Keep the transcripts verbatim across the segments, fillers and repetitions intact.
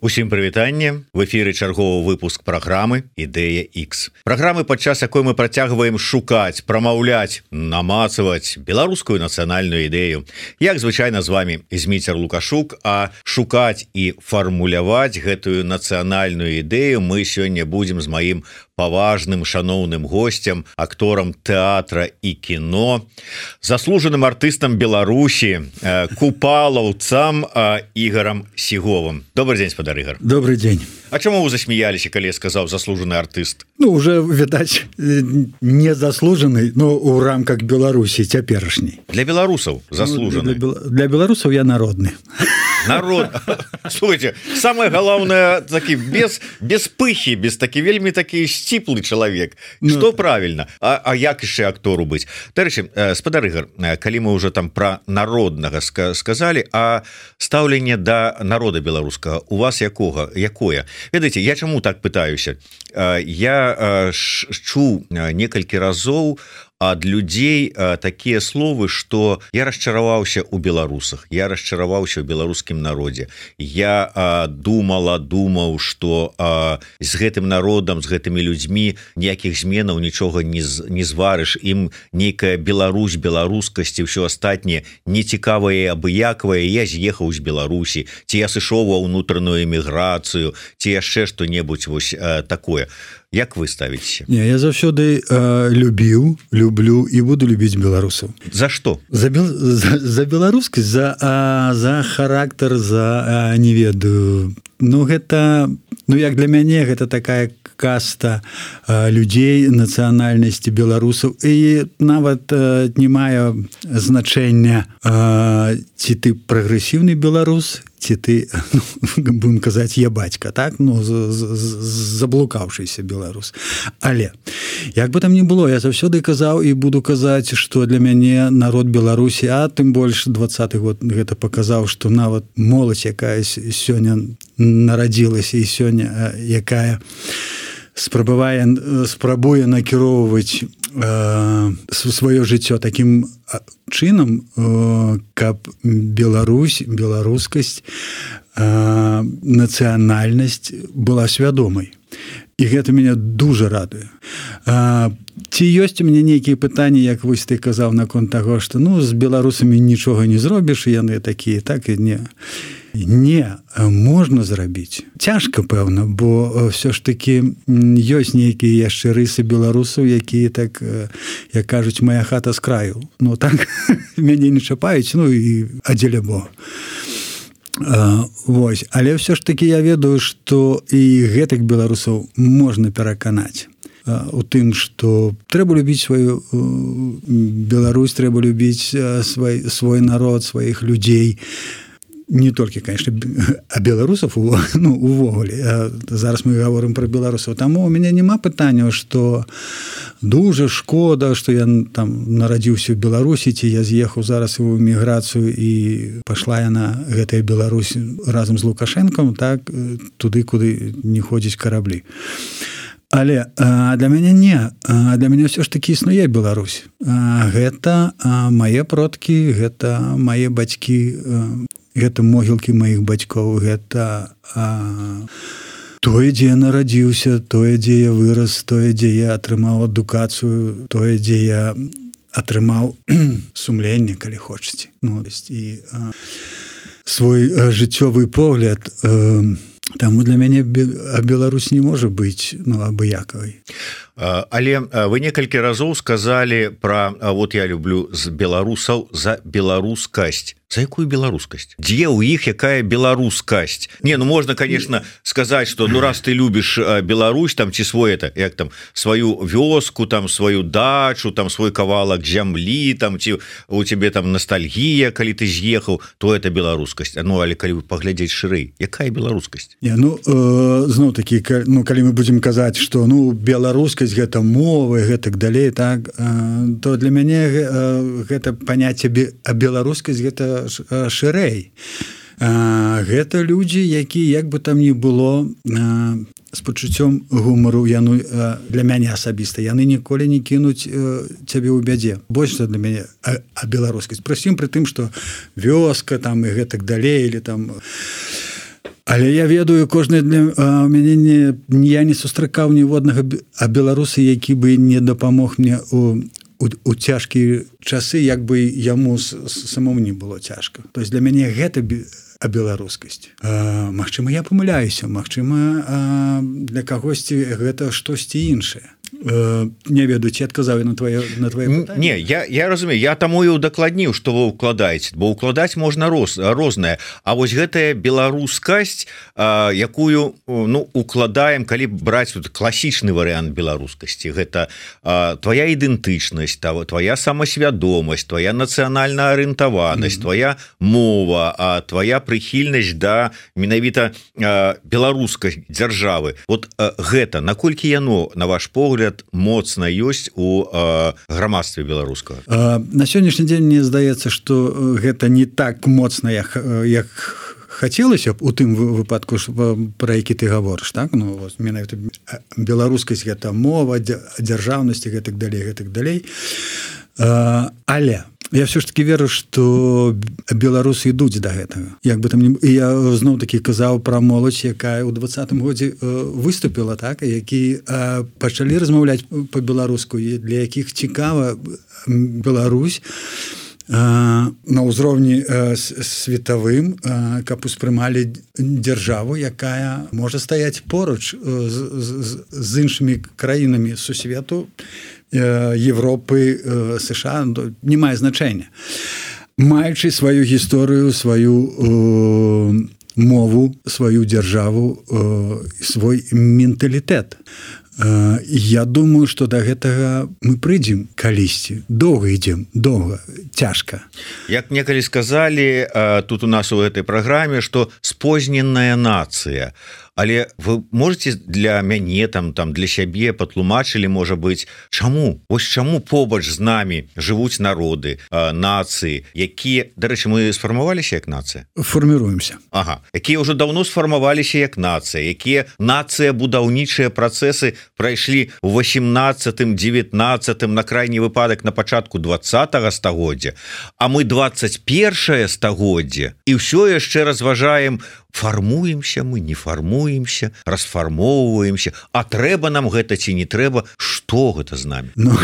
Усім прывітанне, в эфіры чарговы выпуск праграмы Ідэя X. Праграмы, падчас якой мы працягваем шукаць, прамаўляць, намацаваць беларускую нацыянальную ідэю. Як звычайна з вами Зміцер Лукашук, а шукаць і фармуляваць гэтую нацыянальную ідэю мы сёння будзем з маім паважным шаноўным гостем, акторам тэатра і кіно, заслужаным артыстам Беларусі, купалаўцам Ігорам Сіговым. Добрый день, спадар Ігор. Добрый день. А чаму вы засмеяліся, калі я сказаў заслужаны артыст? Ну, уже, відаць, не заслужаны, но у рамках Беларусі цяперашняй. Для беларусаў заслужаны. Ну, для, для беларусаў я народны. Народ. Слушайте, самое главное, таки без, без пыхи, без таки вельми таки сціплы чалавек. Ну, что правильно? А, а як яшчэ актору быць? Дарэчы, спадар Ігор, калі мы уже там про народнага сказали, а стаўленне да народа беларускага у вас якога, якое? Ведаеце, я чаму так пытаюся? Я чуў некалькі разоў ад людзей такія словы, што я расчараваўся ў беларусах, я расчараваўся ў беларускім народзе. Я а, думала, думаў, што а, з гэтым народам, з гэтымі людзьмі ніякіх зменаў нічога не, не зварыш. Ім нейкая Беларусь, беларускасць і ўсё астатняе нецікавае, абыякавае. Я з'ехаў з Беларусі, ці я сышоў ва ўнутраную эміграцыю, ці яшчэ што-небудзь вось а, такое. Як вы ставіце? Не, я заўсёды э, любіў, люблю і буду любіць беларусаў. За што? За, бел... за, за беларускасць, за, а, за характар, за а, не ведаю. Ну, гэта, ну, як для мяне, гэта такая каста а, людзей нацыянальнасці беларусаў. І нават а, не мае значэння, а, ці ты прагрэсіўны беларус, ці ты, ну, будем казаць, я бацька, так? Ну, заблукаўшыся беларус. Але, як бы там ни было, я заўсёды казаў і буду казаць, што для мяне народ Беларусі, а тым больш двадцаты год гэта паказаў, што нават моладзь, якая сёння нарадзілася і сёння, якая спрабавае, спрабуе накіроўваць э, сваё жыццё такім чынам, э, каб Беларусь, беларускасць, э, нацыянальнасць была свядомай. І гэта мяне дуже радуе. А, ці ёсць у мяне нейкія пытанні, як вось ты казаў наконт таго, што ну, з беларусамі нічога не зробіш, яны такія, так і не. Не, можна зрабіць. Цяжка, пэўна, бо ўсё ж такі ёсць нейкія яшчэ рысы беларусаў, якія так, як кажуць, моя хата з краю. Ну так, мяне не чапаюць, ну і адзеля Бога. Uh, вось. Але ўсё ж такі я ведаю, што і гэтых беларусаў можна пераканаць uh, у тым, што трэба любіць сваю uh, Беларусь, трэба любіць uh, свой, свой народ, сваіх людзей. Не толькі, конечно, а беларусаў, ну, увогуле. Зараз мы гаворым пра беларусаў. Таму у мяне няма пытанняў, што дуже шкода, што я там нарадзіўся ў Беларусі, ці я з'ехаў зараз у эміграцыю і пашла яна, гэтая Беларусь, разам з Лукашэнкам, так, туды, куды не ходзяць караблі. Але а, для мяне не. А, для мяне ўсё ж такі існуе Беларусь. А, гэта а, мае продкі, гэта мае бацькі, а, гэта могілкі маіх бацькоў, гэта а, тое, дзе я нарадзіўся, тое, дзе я вырас, тое, дзе я атрымаў адукацыю, тое, дзе я атрымаў сумленне, калі хочаце. Ну, і а, свой а, жыццёвы погляд. А, таму для мяне Беларусь не можа быць, ну, абыякавай. Але вы некалькі разоў сказалі пра, вот я люблю з беларусаў за беларускасць. За якую беларускасць? Дзе ў іх якая беларускасць? Не, ну можна, конечно, сказаць, што ну раз ты любіш Беларусь, там ці свой это, як там сваю вёску, там сваю дачу, там свой кавалак зямлі, там ці у цябе там ностальгія, калі ты з'ехаў, то это беларускасць. Ну, але калі вы паглядзець шырэй, якая беларускасць? Не, ну, э, зноў такі, ну, калі мы будзем казаць, што ну беларускасць гэта мова, гэтак далей, так, э, то для мяне э, гэта паняцце а беларускасць гэта шырэй. А, гэта людзі, якія, як бы там ні было, а, з пачуццём гумару, яны, а, для мяне асабіста, яны ніколі не кінуць а, цябе ў бядзе. Больш для мяне а, а беларускасць. Прасім пры тым, што вёска там і гэтак далей, или там Але я ведаю кожны для у мяне не я не сустракаў ніводнага а беларусы які бы не дапамог мне у у, у цяжкія часы як бы яму самому не было цяжка то есть для мяне гэта а беларускасць Магчыма я памыляюся Магчыма для кагосьці гэта штосьці іншае не ведаю ці адказаў на твоё на твоё не я я разумею я таму і удакладніў што вы укладаеце бо укладаць можна роз рознае А вось гэтая беларускасць якую ну укладаем калі браць тут класічны варыянт беларускасці гэта твоя ідэнтычнасць того твоя самасвядомасць твоя нацыянальная арыентаванасць mm-hmm. твоя мова а твоя прыхільнасць да менавіта беларускай дзяржавы вот гэта наколькі яно на ваш погляд моцна ёсць у э, грамадстве беларускага на сённяшні дзень мне здаецца што гэта не так моцна як, як хацелася б у тым выпадку пра які ты гаворыш так ну менавіта беларускасць гэта мова дзяржаўнасці гэтак далей гэтак далей але я все ж таки веру что беларусы ідуць до гэтага як бы там не я зноў таки казаў про моладзь якая у двадцатым годзе выступила так які пачалі размаўляць по-беларуску для якіх цікава Беларусь на ўзроўні светавым каб успрымалі дзяржаву якая можа стаяць поруч з, з, з іншымі краінамі сусвету Европы, США не мае значэння маючы сваю гісторыю сваю э, мову сваю дзяржаву э, свой менталітэт э, я думаю что до гэтага мы прыйдзем калісьці доўга ідзем доўга цяжка як некалі сказалі э, тут у нас у этой праграме что спозненная нацыя Але вы можете для мяне там там для сябе патлумачылі можа быть чаму ось чаму побач з намі жывуць народы нацыі якія дарэчы мы сфармаваліся як нацыя фарміруемся Ага якія ўжо давно сфармаваліся як нацыя якія нацыя будаўнічыя працэсы прайшлі у восемнадцатым девятнадцатым на крайні выпадак на пачатку двадцатага стагоддзя а мы двадцать першае стагоддзе і ўсё яшчэ разважаем фармуемся мы не фармуемся расфармоўваемся а трэба нам гэта ці не трэба што гэта з намі ну,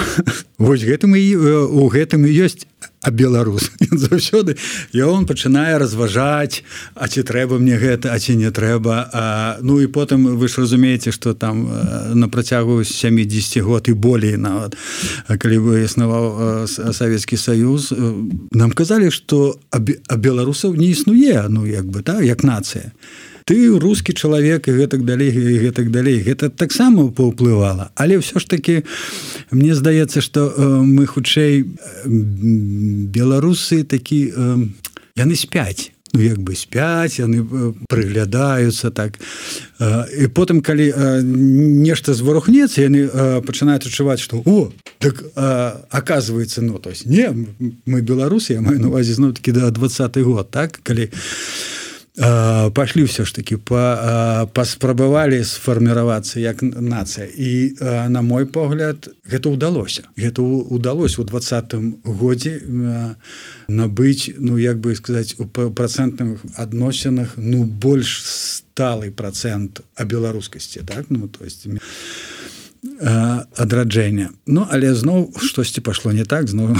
вось гэтым і у гэтым і ёсць а беларус заўсёды і он пачынае разважаць а ці трэба мне гэта а ці не трэба а, ну і потым вы ж разумееце што там на працягу сямідзесяці год і болей нават калі бы існаваў Савецкі Саюз нам казалі што а беларусаў не існуе ну як бы так як нацыя ты рускі чалавек і гэтак далей і гэтак далей гэта таксама паўплывала але ўсё ж таки мне здаецца што мы хутчэй беларусы такі яны спяць ну як бы спяць яны прыглядаюцца так і потым калі нешта зварухнецца яны пачынаюць адчуваць што о так оказывается ну то есть не мы беларусы я маю на увазе зноў такі да двадцаты год так калі пашлі ўсё ж таки па, паспрабавалі сфарміравацца як нацыя і на мой погляд гэта ўдалося гэта ўдалося у двадцатым годзе набыць ну як бы сказаць у працэнтных адносінах ну больш сталы працэнт а беларускасці так ну то есть адраджэння ну але зноў штосьці пашло не так зноў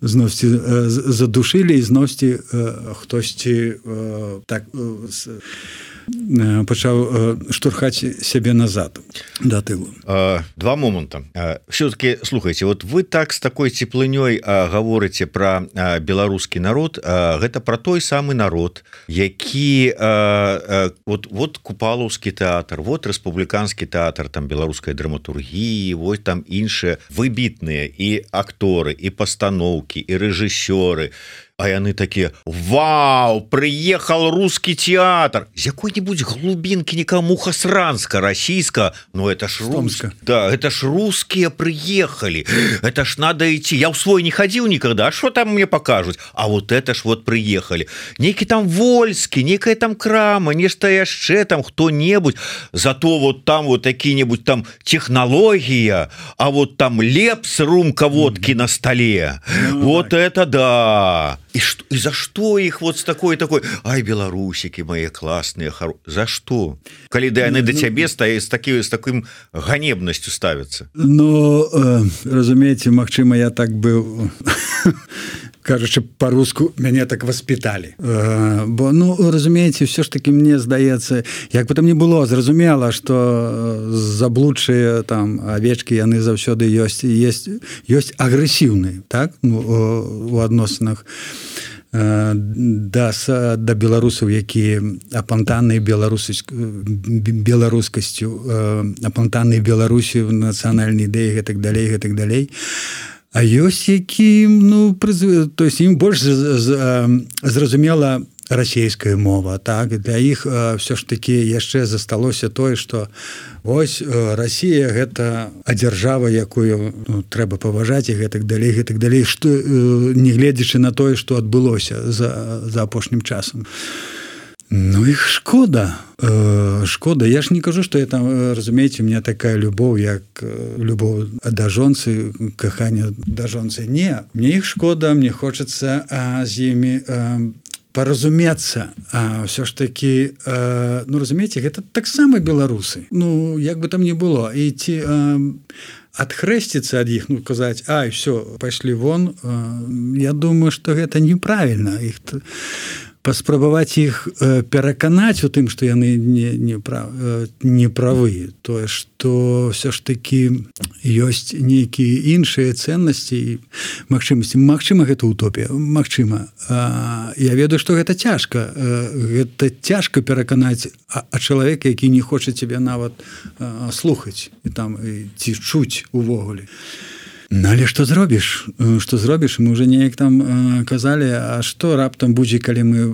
зносьці задушылі і зносьці хтосьці так пачаў штурхаць сябе назад да тылу два моманта все-таки слухайте вот вы так с такой цеплынёй гаворыце про беларускі народ гэта про той самы народ які вот вот купалаўскі тэатр вот рэспубліканскі тэатр там беларускай драматургіі вось там іншыя выбітныя і акторы і пастаноўкі і рэжысёры а яны такія вау прыехал русский театр з якой-нибудь глубинки никому хасранска расійска но это ж русска да это ж русские приехали это ж надо идти я в свой не ходил никогда что там мне покажут а вот это ж вот приехали некий там Вольскі некая там крама нешта яшчэ там кто-небудь зато вот там вот какие-нибудь там технология а вот там лепс румка водки mm-hmm. на столе mm-hmm. вот это да і, што, і за што іх вот з такой такой ай беларусікі мае класныя хар... за што калі да яны ну, да цябе стае з такі з таким ганебнасцю ставяцца Ну э, разумееце Магчыма я так быў кажучы по-руску мяне так воспиталі э, бо ну разумееце все ж таки мне здаецца як бы там не было зразумела что заблудшыя там авечки яны заўсёды ёсць есть ёсць агрэсіўныя так ну, у адносінах э, да да беларусаў якія апантаныя беларусі беларускасцю э, апантаныя Беларусі в нацыянальнай ідэі гэтак далей гэтак далей А ёсць якім ну прызв... то есть ім больш зразумела расійская мова так для іх все ж таки яшчэ засталося тое что ось Расія гэта адзяржава якую ну, трэба паважаць і гэтак далей гэтак далей што не гледзячы на тое что адбылося за за апошнім часам Ну іх шкода э, шкода я ж не кажу что я там разумееце у меня такая любоў як любоў да жонцы кахання да жонцы не мне іх шкода мне хочацца з імі э, паразумецца а все ж таки э, ну разумееце гэта таксама беларусы ну як бы там не было і ці э, адхрэсціцца ад іх ну казаць ай все пайшлі вон э, я думаю что гэта неправільна іх паспрабаваць іх э, пераканаць у тым што яны не не прав, э, не правы тое што все ж таки ёсць нейкія іншыя ценнасці і магчымасці Магчыма гэта утопія Магчыма а, я ведаю што гэта цяжка гэта цяжка пераканаць а, а чалавек які не хоча цябе нават а, слухаць і там і, ці чуць увогуле Ну, але што зробіш што зробіш мы уже неяк там э, казалі а што раптам будзе калі мы э,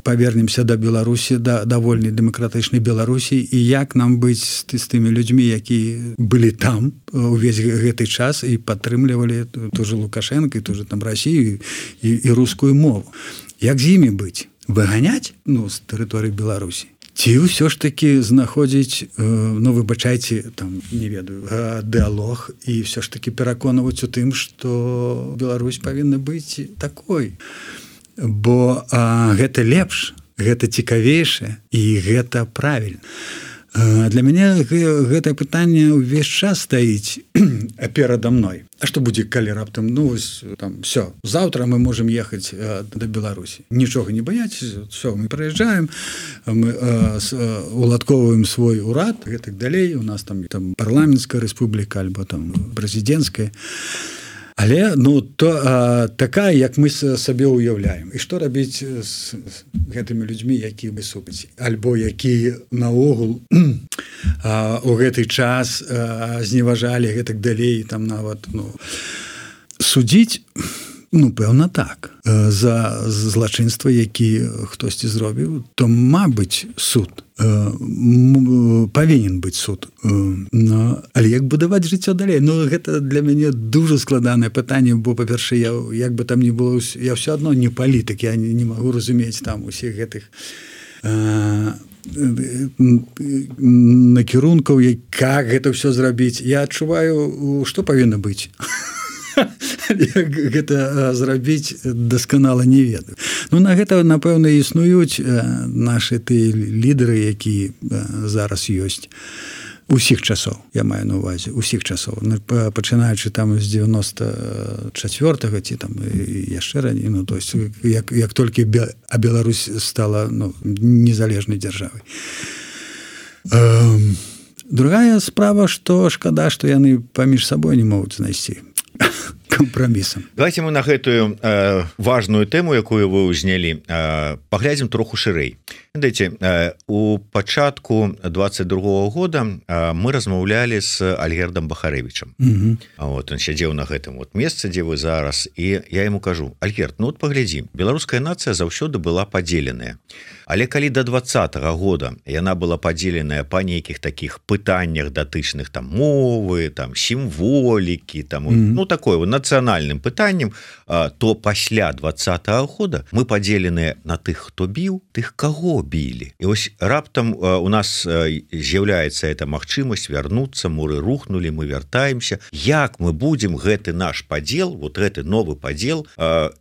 павернемся да Беларусі да давольнай дэмакратычнай Беларусі і як нам быць з, з тымі людзьмі які былі там увесь гэты час і падтрымлівалі ту же Лукашенко і ту же там Расію і, і рускую мову як з імі быць выганяць ну з тэрыторыі Беларусі Ці ўсё ж таки знаходзіць ну выбачайце там не ведаю дыалог і все ж таки пераконваць у тым што Беларусь павінна быць такой бо а, гэта лепш гэта цікавейшае і гэта правільна а, для мяне гэтае пытанне ўвесь час стаіць перада мной А што будзе калі раптам ну вось там все заўтра мы можем ехаць э, да Беларусі нічога не баяць все мы прыязджаем мы э, с, э, уладковваем свой урад гэтак далей у нас там там парламенцкая рэспубліка альбо там прэзідэнцкая Але ну то а, такая як мы сабе ўяўляем і што рабіць з, з гэтымі людзьмі які мы супаць альбо які наогул а, у гэты час а, зневажалі гэтак далей там нават ну судзіць ну пэўна так за злачынства які хтосьці зробіў то мабыць суд павінен быць суд но, але як будаваць жыццё далей ну гэта для мяне дуже складанае пытанне бо па-першае я як бы там не было я все адно не палітык я не, не магу разумець там усіх гэтых а, накірункаў як гэта все зрабіць я адчуваю што павінна быць гэта зрабіць дасканала не ведаю ну на гэта напэўна існуюць нашы ты лідары які зараз ёсць усіх часоў я маю на увазе усіх часоў пачынаючы там з девяносто чацвёртага ці там яшчэ раней ну то есть як як толькі а Беларусь стала ну незалежнай дзяржавай другая справа што шкада што яны паміж сабой не могуць знайсці компромисам. Давайте мы на гэтую э, важную тэму, якую вы ўзнялі, э, паглядзім троху шырэй. Дайце, э, у пачатку двадцать другого года э, мы размаўлялі з Альгердом Бахарэвічам. Mm-hmm. Вот, он сядзеў на гэтым вот месцы, дзе вы зараз, і я яму кажу: Альгерд, ну вот паглядзі, беларуская нацыя заўсёды была падзеленая. Але калі до двадцатого года яна была падзеленая па нейкіх такіх пытаннях датычных там мовы, там сімволікі, там mm-hmm. ну такое на нацыянальным пытаннем, то пасля двадцатого года мы падзеленыя на тых, хто біў, тых, каго білі. І вось раптам у нас з'яўляецца эта магчымасць вярнуцца, муры рухнули, мы вяртаемся. Як мы будзем гэты наш падзел, вот гэты новы падзел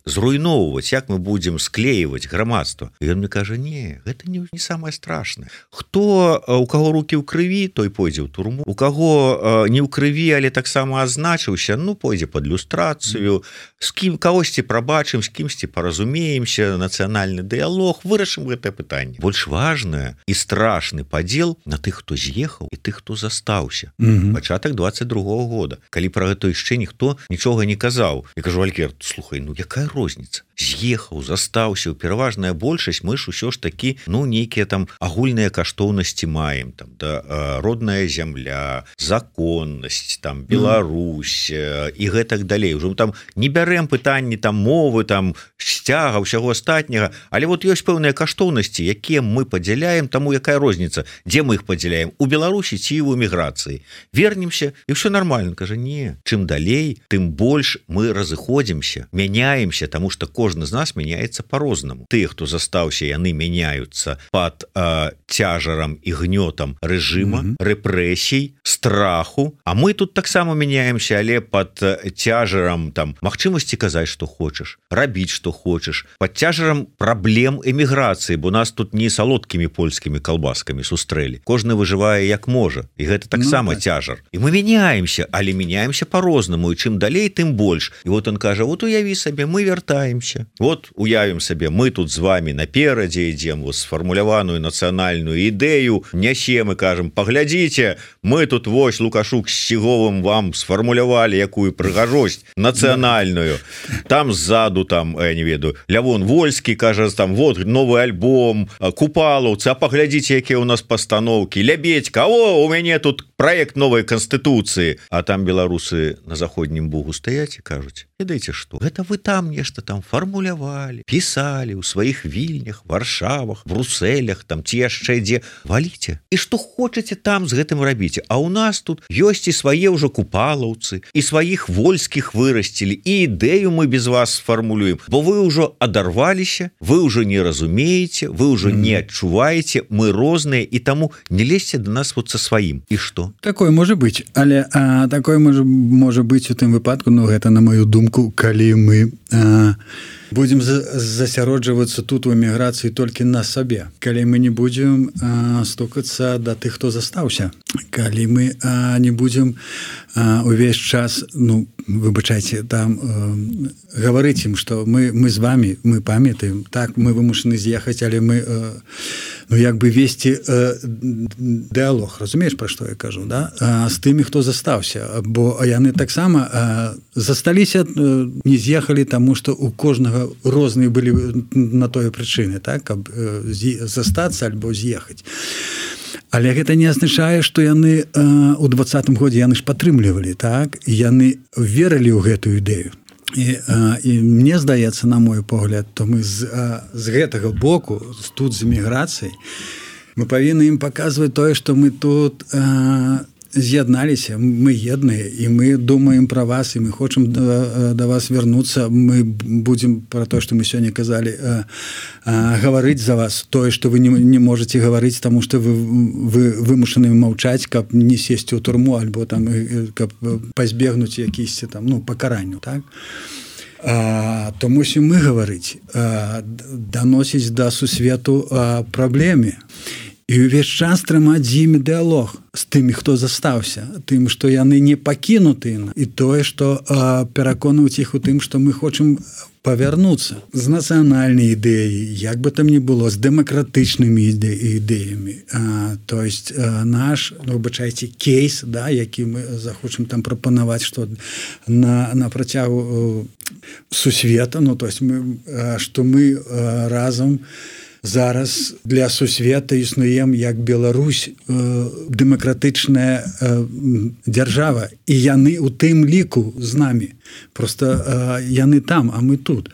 зруйноўваць, як мы будзем склеивать грамадства? І ён мне кажа: не, гэта не, не самое страшное. Хто, у каго руки ў крыві, той пойдзе ў турму, у каго не ў крыві, але таксама азначыўся, ну пойдзе под люстрацыю, з кім кагосьці прабачым, з кімсьці паразумеемся, нацыянальны дыялог, вырашым гэтае пытанне. Больш важнае і страшны падзел на тых, хто з'ехаў, і тых, хто застаўся. Mm-hmm. Пачатак двадцать другого года, калі пра гэта яшчэ ніхто нічога не казаў. Я кажу: Алькер, слухай, ну якая розніца? З'ехаў, застаўся, пераважная большасць, мы ж усё ж такі, ну нейкія там агульныя каштоўнасці маем, там да, родная зямля, законнасць, там Беларусь mm. і гэтак далей. Ужо там не бярэм пытанні там мовы, там сцяга, ўсяго астатняга, але вот ёсць пэўныя каштоўнасці, якія мы падзяляем, таму якая розніца, дзе мы іх падзяляем, у Беларусі ці ў эміграцыі. Вернемся, і ўсё нормально. Кажа: не, чым далей, тым больш мы разыходзімся, мяняемся, таму што кожны з нас мяняецца по-рознаму. Тыя, хто застаўся, яны мяняюцца пад э, цяжарам і гнётам рэжыма, mm-hmm. рэпрэсій, страху, а мы тут таксама мяняемся, але пад цяжарам там магчымасці казаць, што хочаш, рабіць, што хочаш, пад цяжарам праблем эміграцыі, бо нас тут не салодкімі польскімі калбаскамі сустрэлі. Кожны выжывае як можа, і гэта таксама ну, так. цяжар. І мы мяняемся, але мяняемся по-рознаму, і чым далей, тым больш. І вот он кажа: вот уяві сабе, мы вяртаемся. Вот уявім сабе, мы тут з вами наперадзе ідзем, вот сфармуляваную нацыянальную ідэю нясем і кажам: паглядзіце, мы тут вось Лукашук з Сіговым вам сфармулявалі якую прыгажосць нацыянальную. Там ззаду, там, я не ведаю, Лявон Вольскі кажа, там, вот новы альбом, Купалаўцы, а паглядзіце, якія у нас пастаноўкі, Лябедька, о, у мяне тут праект новай канстытуцыі, а там беларусы на заходнім бугу стаяць і кажуць: ведаеце што, гэта вы там нешта там фармулявалі, пісалі ў сваіх вільнях, Варшавах, Брусэлях, там ці яшчэ дзе, валіце. І што хочаце там з гэтым рабіце. А ў нас тут ёсць і свае ўжо купалаўцы, і сваіх вольскіх вырасцілі, і ідэю мы без вас сфармулюем, бо вы ўжо адарваліся, вы ўжо не разумееце, вы ўжо mm. не адчуваеце, мы розныя, і таму не лезьце да нас вот са сваім. І што? Такое можа быць, але а, такое можа, можа быць у тым выпадку, ну гэта на маю думку, калі мы а, будзем засяроджвацца тут у эміграцыі толькі на сабе, калі мы не будзем а, стукацца да тых, хто застаўся, калі мы а, не будзем а, увесь час, ну выбачайце, там а, гаварыць ім, што мы, мы з вами, мы памятаем, так, мы вымушаны з'ехаць, але мы а, ну як бы весці а, дыялог, разумееш, пра што я кажу, да? А, з тымі, хто застаўся, бо яны таксама а, засталіся, а, не з'ехалі, таму што у кожнага розныя былі на тое прычыны, так, каб застацца альбо з'ехаць. Але гэта не азначае, што яны у двадцатым годзе яны ж падтрымлівалі, так, яны верылі ў гэтую ідэю. І, і мне здаецца, на мой погляд, то мы з, з гэтага боку, тут з эміграцыяй, мы павінны ім паказваць тое, што мы тут з'ядналіся, мы едныя, і мы думаем пра вас, і мы хочам да, да вас вярнуцца, мы будзем пра тое, што мы сёння казалі, а, а, гаварыць за вас, тое, што вы не, не можаце гаварыць, таму што вы, вы вымушаны маўчаць, каб не сесці ў турму, альбо там, каб пазбегнуць якісьці там, ну, пакаранню, так? А, то мусім мы гаварыць, а, даносіць да сусвету а, праблеме. І ўвесь час трымаць з імі дыялог з тымі, хто застаўся, тым, што яны не пакінуты, і тое, што а, пераконваць іх у тым, што мы хочам павярнуцца з нацыянальнай ідэяй, як бы там ні было, з дэмакратычнымі іде, ідэямі. А, то есть а, наш, ну, выбачайце, кейс, да, які мы захочам там прапанаваць, што на, на працягу сусвета, ну, то есть мы, а, што мы а, разам зараз для сусвета існуем як Беларусь, э, дэмакратычная э, дзяржава, і яны у тым ліку з намі. Просто э, яны там, а мы тут.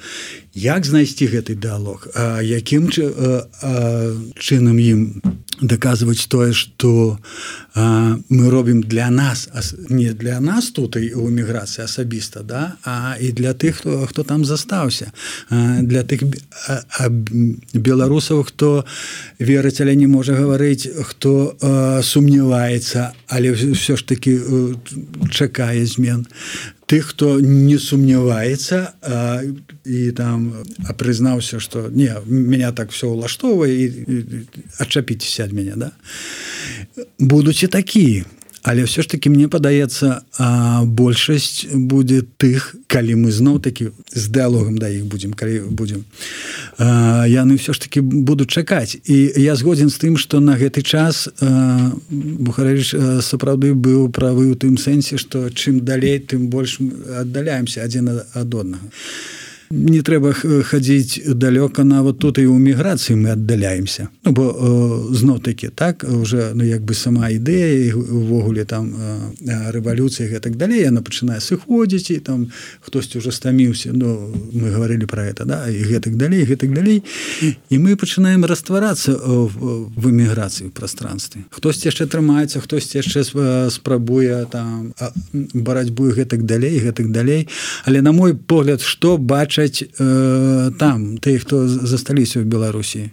Як знайсці гэты дыялог? А якім э, э, чынам ім даказваць тое, што а, мы робім для нас, не для нас тут і ў эміграцыі асабіста, да, а і для тых, хто, хто там застаўся, а, для тых а, а, беларусаў, хто верыць, але не можа гаварыць, хто а, сумняваецца, але ўсё ж такі а, чакае змен. Тых, хто не сумняваецца а, і там а прызнаўся, што не, меня так все ўлаштоўвае і, і адчапіцеся ад мяне, да? Будуць і такія. Але ўсё ж таки мне падаецца, а, большасць будзе тых, калі мы зноў-такі з дыалогам да іх будзем, калі будзем, а, яны ўсё ж таки будуць чакаць. І я згодзін з тым, што на гэты час а, Бухарэвіч сапраўды быў правы ў тым сэнсе, што чым далей, тым больш аддаляемся адзін ад аднаго. Не трэба хадзіць далёка, нават тут і ў міграцыі мы аддаляемся. Ну, бо зноў-такі, так, уже, ну, як бы сама ідэя, увогуле там рэвалюцыя і гэтак далей, яна пачынае сыходзіць, і там хтосьці ўжо стаміўся, ну, мы гаварылі пра гэта, да, і гэтак далей, і гэтак далей, і мы пачынаем растварацца в эміграцыі, в прастранстве. Хтосьці яшчэ трымаецца, хтосьці яшчэ спрабуе там барацьбу і гэтак далей, і гэтак далей, але на мой погляд, што бачыць там, тых, хто засталіся ў Беларусі.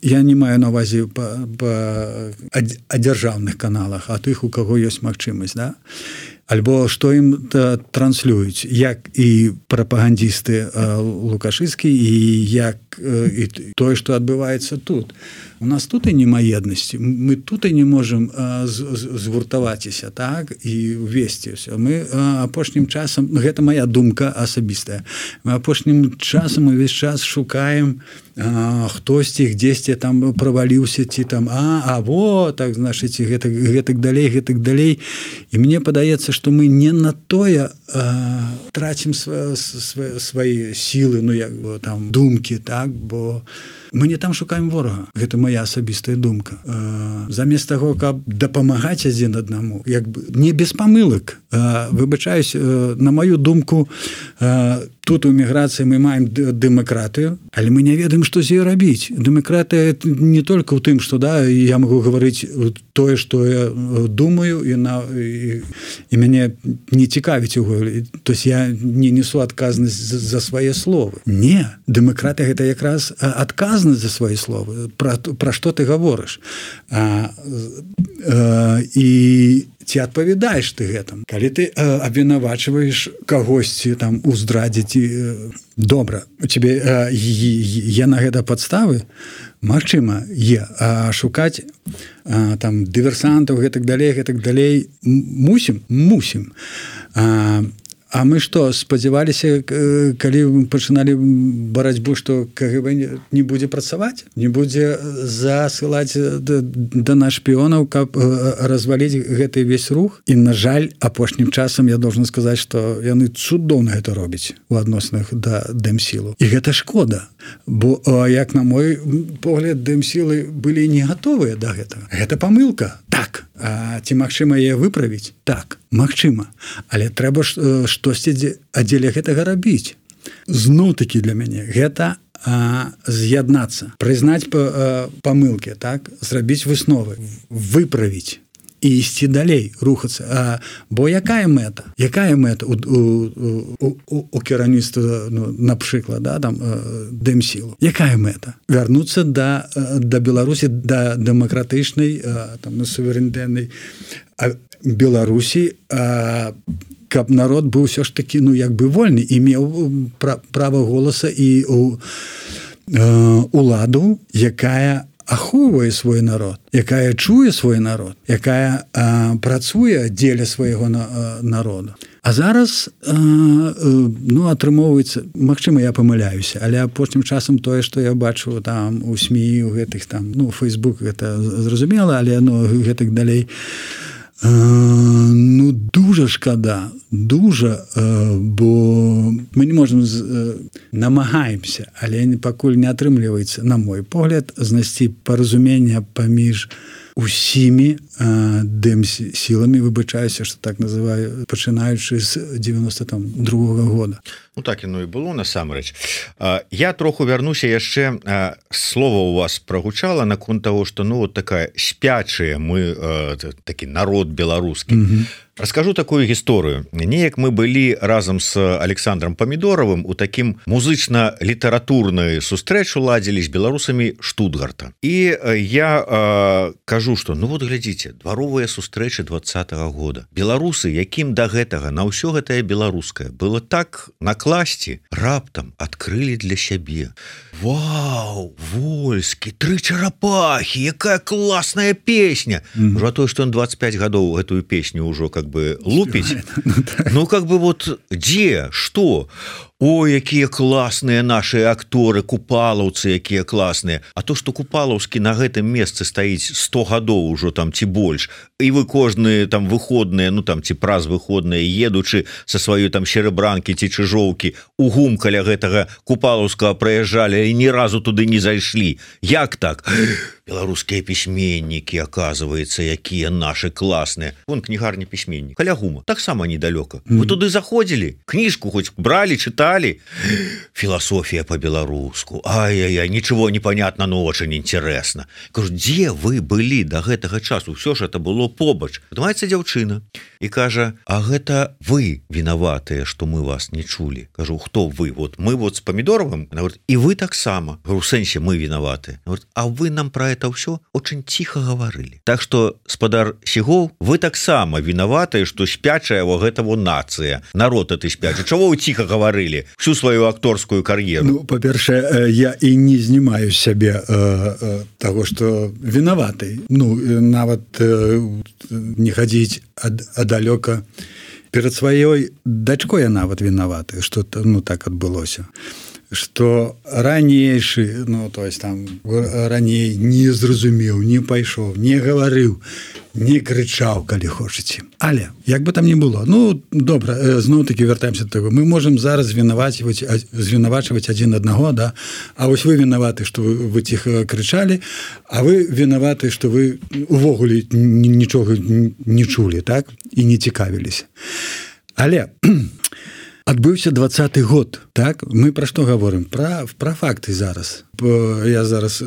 Я не маю на ўвазе па, па адзяржаўных каналах, а тых, у каго ёсць магчымасць, да? Альбо што ім транслююць, як і прапагандісты лукашысцкі, і як і тое, што адбываецца тут. У нас тут і няма еднасці. Мы тут і не можам згуртаваціся, так, і увесці ўсё. Мы апошнім часам, гэта моя думка асабістая, мы апошнім часам увесь час шукаем хтосьці дзесьці там праваліўся, ці там, а, а, во, так, значыць, гэтак, гэтак далей, гэтак далей. І мне падаецца, што мы не на тое а, трацім сва, сва, свае сілы, ну, як бы, там, думкі, так, бо мы не там шукаем ворага. Гэта моя асабістая думка. А, замест таго, каб дапамагаць адзін аднаму, як бы, не без памылак. А, выбачаюсь, на мою думку, а, тут у міграцыі мы маем дэмакратыю, але мы не ведаем, што з ёй рабіць. Дэмакратыя не толькі ў тым, што, да, я магу гаварыць тое, што я думаю, і, на, і, і мяне не цікавіць яго. То есть я не несу адказнасць за свае словы. Не, дэмакратыя гэта якраз адказнасць за свае словы. Пра, пра што ты гаворыш? А, а, і ці адпавядаеш ты гэтым? Калі ты э, абвінавачваеш кагосьці там у здрадзе, ці э, добра, у цябе э, є на гэта падставы, магчыма, є, а шукаць а, там дыверсантаў, гэтак далей, гэтак далей, мусім, мусім. А, А мы што, спадзяваліся, калі пачыналі барацьбу, што КГБ не будзе працаваць, не будзе засылаць да нас шпіёнаў, каб разваліць гэты весь рух. І, на жаль, апошнім часам я должен сказаць, што яны цудоўна гэта робяць у адносінах да Дэмсілу. І гэта шкода, бо, як на мой погляд, Дэмсілы былі не гатовыя да гэтага. Гэта памылка. Так. А ці магчыма яе выправіць? Так, магчыма. Але трэба штосьці адзеля гэтага рабіць. Зноў-такі для мяне гэта а, з'яднацца, прызнаць па, памылкі, так, зрабіць высновы, выправіць і ісці далей, рухацца. А, бо якая мэта? Якая мэта у, у, у, у, у кіраўніцтва, ну, напрыклад, да, там, Дэмсілу? Якая мэта? Вярнуцца да, да Беларусі, да дэмакратычнай, там, суверэнітэтнай Беларусі, а, каб народ быў ўсё ж такі, ну, як бы вольны і меў права голаса і у, э, уладу, якая ахоўвае свой народ, якая чуе свой народ, якая а, працуе дзеля свайго на, а, народу. А зараз а, ну, атрымоўваецца, магчыма, я памыляюся, але апошнім часам тое, што я бачу там у СМІ, у гэтых там, ну, Фейсбук, гэта зразумела, але ну, гэтак далей. А, ну, дужа шкада, дужа, а, бо мы не можам з, а, намагаемся, але пакуль не атрымліваецца, на мой погляд, знайсці паразумення паміж усімі дэм-сіламі, выбачаюся, што так называю, пачынаючы з девяносто другого года. Ну так яно і было насамрэч. Я троху вярнуся яшчэ, слова у вас прагучала наконт таго, што ну вот такая спячая мы такі народ беларускі. Mm-hmm. Раскажу такую гісторыю. Неяк мы былі разам з Александром Памідоровым у такім музычна-літаратурнай сустрэчу ладзілі з беларусамі Штутгарта. І я э, кажу, што ну вот глядзіце, дваровыя сустрэчы двадцатого года. Беларусы, якім да гэтага на ўсё гэтае беларускае было так накласці, раптам адкрылі для сябе. Вау, Вольскі, тры чарапахі, якая класная песня. Mm-hmm. Уже то, што он двадцать пять гадоў гэтую песню ўжо как бы лупить. Ну, как бы вот где, что? Ой, якія класныя наши акторы, купалаўцы, якія класныя. А то, што Купалаўскі на гэтым месцы стаіць сто гадоў ужо там ці больш, і вы кожныя там выходныя, ну там ці праз выходныя, едучы са сваёй там серебранкі ці чыжоўкі, у гум каля гэтага Купалаўскага праязджалі і ні разу туды не зайшлі. Як так? Беларускія пісьменнікі, аказваецца, якія наши класныя. Вон кнігарня пісьменнік. Каля гума. Таксама недалёка. Mm-hmm. Вы туды заходзілі? Кніжку хоць бралі, чыталі? Философия по-белоруску. Ай-яй-яй, ничего не понятно, но очень интересно. Кажу, где вы были до гэтага часу? Все ж это было побач. Падымаецца дзяўчына и кажа, а гэта вы виноватые, что мы вас не чули. Кажу, кто вы? Вот мы вот с Помидоровым. Она говорит, и вы так само. Говорю, в сенсе мы виноваты. Она говорит, а вы нам про это все очень тихо говорили. Так что, спадар Сігоў, вы так само виноваты, что спячая вот этого нация. Народ это спячий. Чего вы тихо говорили всю свою акторскую карьеру? Ну, по-перше, я и не знімаю з сябе э, э, того, что виноваты. Ну, нават э, не ходить далёка. Перед сваёй дачкой я нават виноваты, что ну так адбылося. Что ранейшы, ну, то есть там раней не зразумеў, не пайшоў, не гаварыў, не крычаў, калі хочаце. Але, як бы там ни было, ну, добра, зноў-таки вяртаемся до того, мы можем зараз вінавачваць, звінавачваць адзін аднаго, да? А вось вы вінаваты, што вы, вы ціха крычалі, а вы вінаваты, што вы увогуле нічога не чулі, так? І не цікавіліся. Але адбыўся двадцаты год, так? Мы пра што гаворым? Пра, пра факты зараз. Я зараз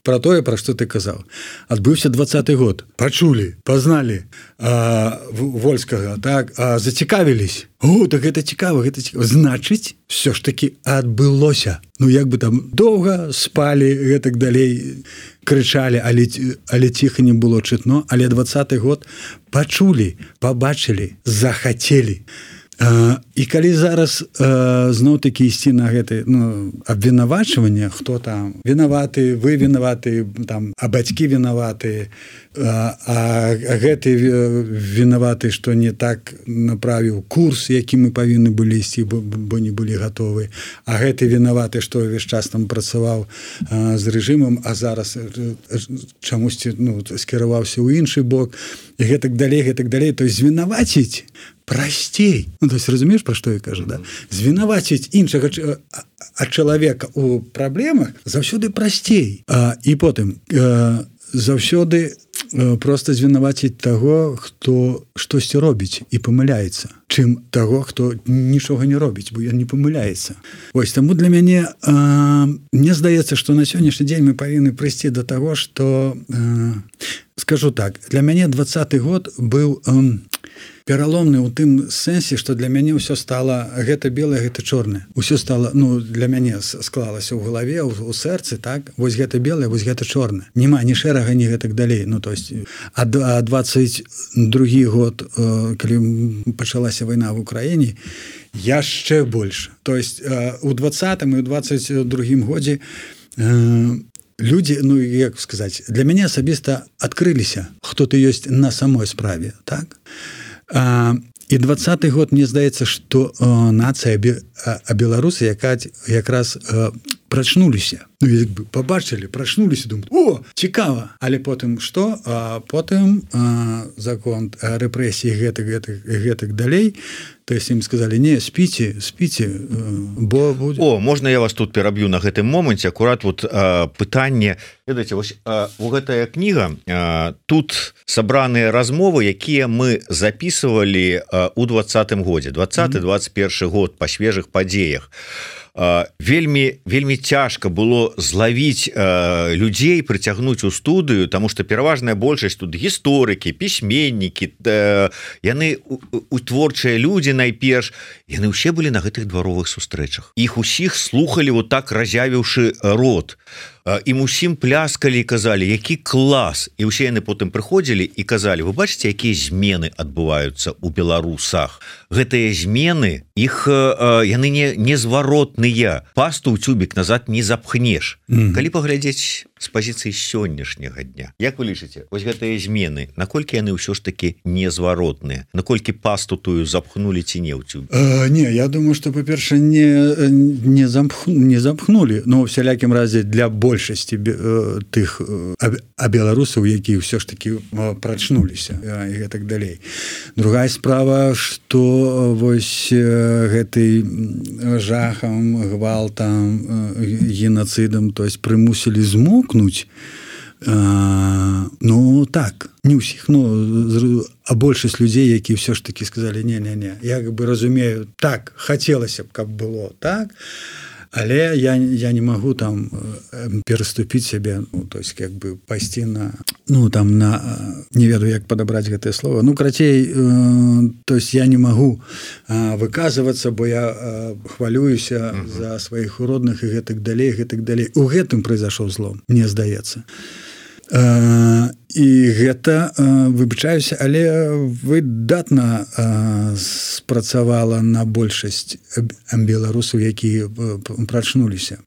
пра тое, пра што ты казаў. Адбыўся двадцаты год. Пачулі, пазналі а, Вольскага, так? А, зацікавілись. О, так гэта цікава, гэта цікава. Значыць, все ж таки адбылося. Ну, як бы там доўга спалі, гэтак далей крычалі, але, але ціха не было чытно, але двадцаты год пачулі, пабачылі, захацелі. Uh, і калі зараз uh, зноў-такі ісці на гэты ну, абвінавачванне, хто там вінаваты, вы вінаваты, там, а бацькі вінаваты, uh, а гэты вінаваты, што не так направіў курс, які мы павінны былі ісці, бо, бо не былі гатовы, а гэты вінаваты, што ўвесь час там працаваў uh, з рэжымам, а зараз чамусьці ну, скіраваўся ў іншы бок, і гэтак далей, гэтак далей, то есть звінаваціць прасцей. Ну, то есть, разумееш, пра што я кажу, да? Звінаваціць іншага ад чалавека ў праблемах заўсёды прасцей. А, і потым а, заўсёды а, проста звінаваціць таго, хто штосьці робіць і памыляецца, чым таго, хто нічога не робіць, бо ён не памыляецца. Вось, таму для мяне а, мне здаецца, што на сённяшні дзень мы павінны прыйсці да таго, што а, скажу так, для мяне двадцаты год быў а, пераломны ў тым сэнсе, што для мяне ўсё стала гэта белае, гэта чорнае. Усё стала, ну, для мяне склалася ў галаве, у, у сэрцы, так? Вось гэта белае, вось гэта чорнае. Нема ні шэрага, ні гэтак далей. Ну, то есть, а двадцать другі год, калі пачалася вайна в Украіне, яшчэ больш. То есть, у двадцатым і у двадцать другім годзе людзі, ну, як сказаць, для мяне асабіста адкрыліся, хто ты ёсць на самой справе, так? А, і двадцаты год, мне здаецца, што а, нацыя, а, а беларусы яка, якраз а, прачнуліся. Ну, як бы пабачылі, прачнуліся, думаюць, о, цікава. Але потым што? А, потым а, закон рэпрэсій гэтак, гэтак, гэтак далей, то есть ім сказали не спіце спіце бо будзе... О можна я вас тут пераб'ю на гэтым моманце акурат вот а, пытанне ведаеце вось а, у гэтая кніга а, тут сабраныя размовы якія мы записывалі а, у двадцатым годзе двадцаты двадцать першы год па свежых падзеях. Вельмі вельмі цяжка было злавіць э, людзей прыцягнуць у студыю тому что пераважная большасць тут гісторыкі пісьменнікі э, яны у, у творчыя людзі найперш яны ўсе былі на гэтых дваровых сустрэчах іх усіх слухали вот так разявіўшы рот ім усім пляскалі і казалі які клас і ўсе яны потым прыходзілі і казалі вы бачыце якія змены адбываюцца у беларусах гэтыя змены іх яны не незваротныя пасту ў цюбік назад не запхнеш mm-hmm. калі паглядзець з пазіцыі сённяшняга дня як вы лічыце вось гэтыя змены наколькі яны ўсё ж таки незваротныя наколькі пасту тую запхнули ці не ў цюбік uh, не я думаю что па-перша не не замх не запхнули но всялякім разе для больш большасці тых а беларусаў якія ўсё ж таки прачнуліся і гэтак далей. Другая справа што вось гэтай жахам гвалтам генацыдам то есть прымусілі змокнуць ну так не ўсіх ну а большасць людзей якія ўсё ж таки сказалі не-не-не я как бы разумею так хацелася б каб было так але я я не могу там пераступіць сябе ну, то есть как бы пайсці на ну там на не ведаю як падабраць гэтае слово ну крацей э, то есть я не могу э, выказвацца бо я э, хвалююся uh-huh. за сваіх родных і гэтак далей гэтак далей у гэтым произошел злом мне здаецца э, і гэта э, выбачаюся але выдатна э, спрацавала на большасць беларусаў якія прачнуліся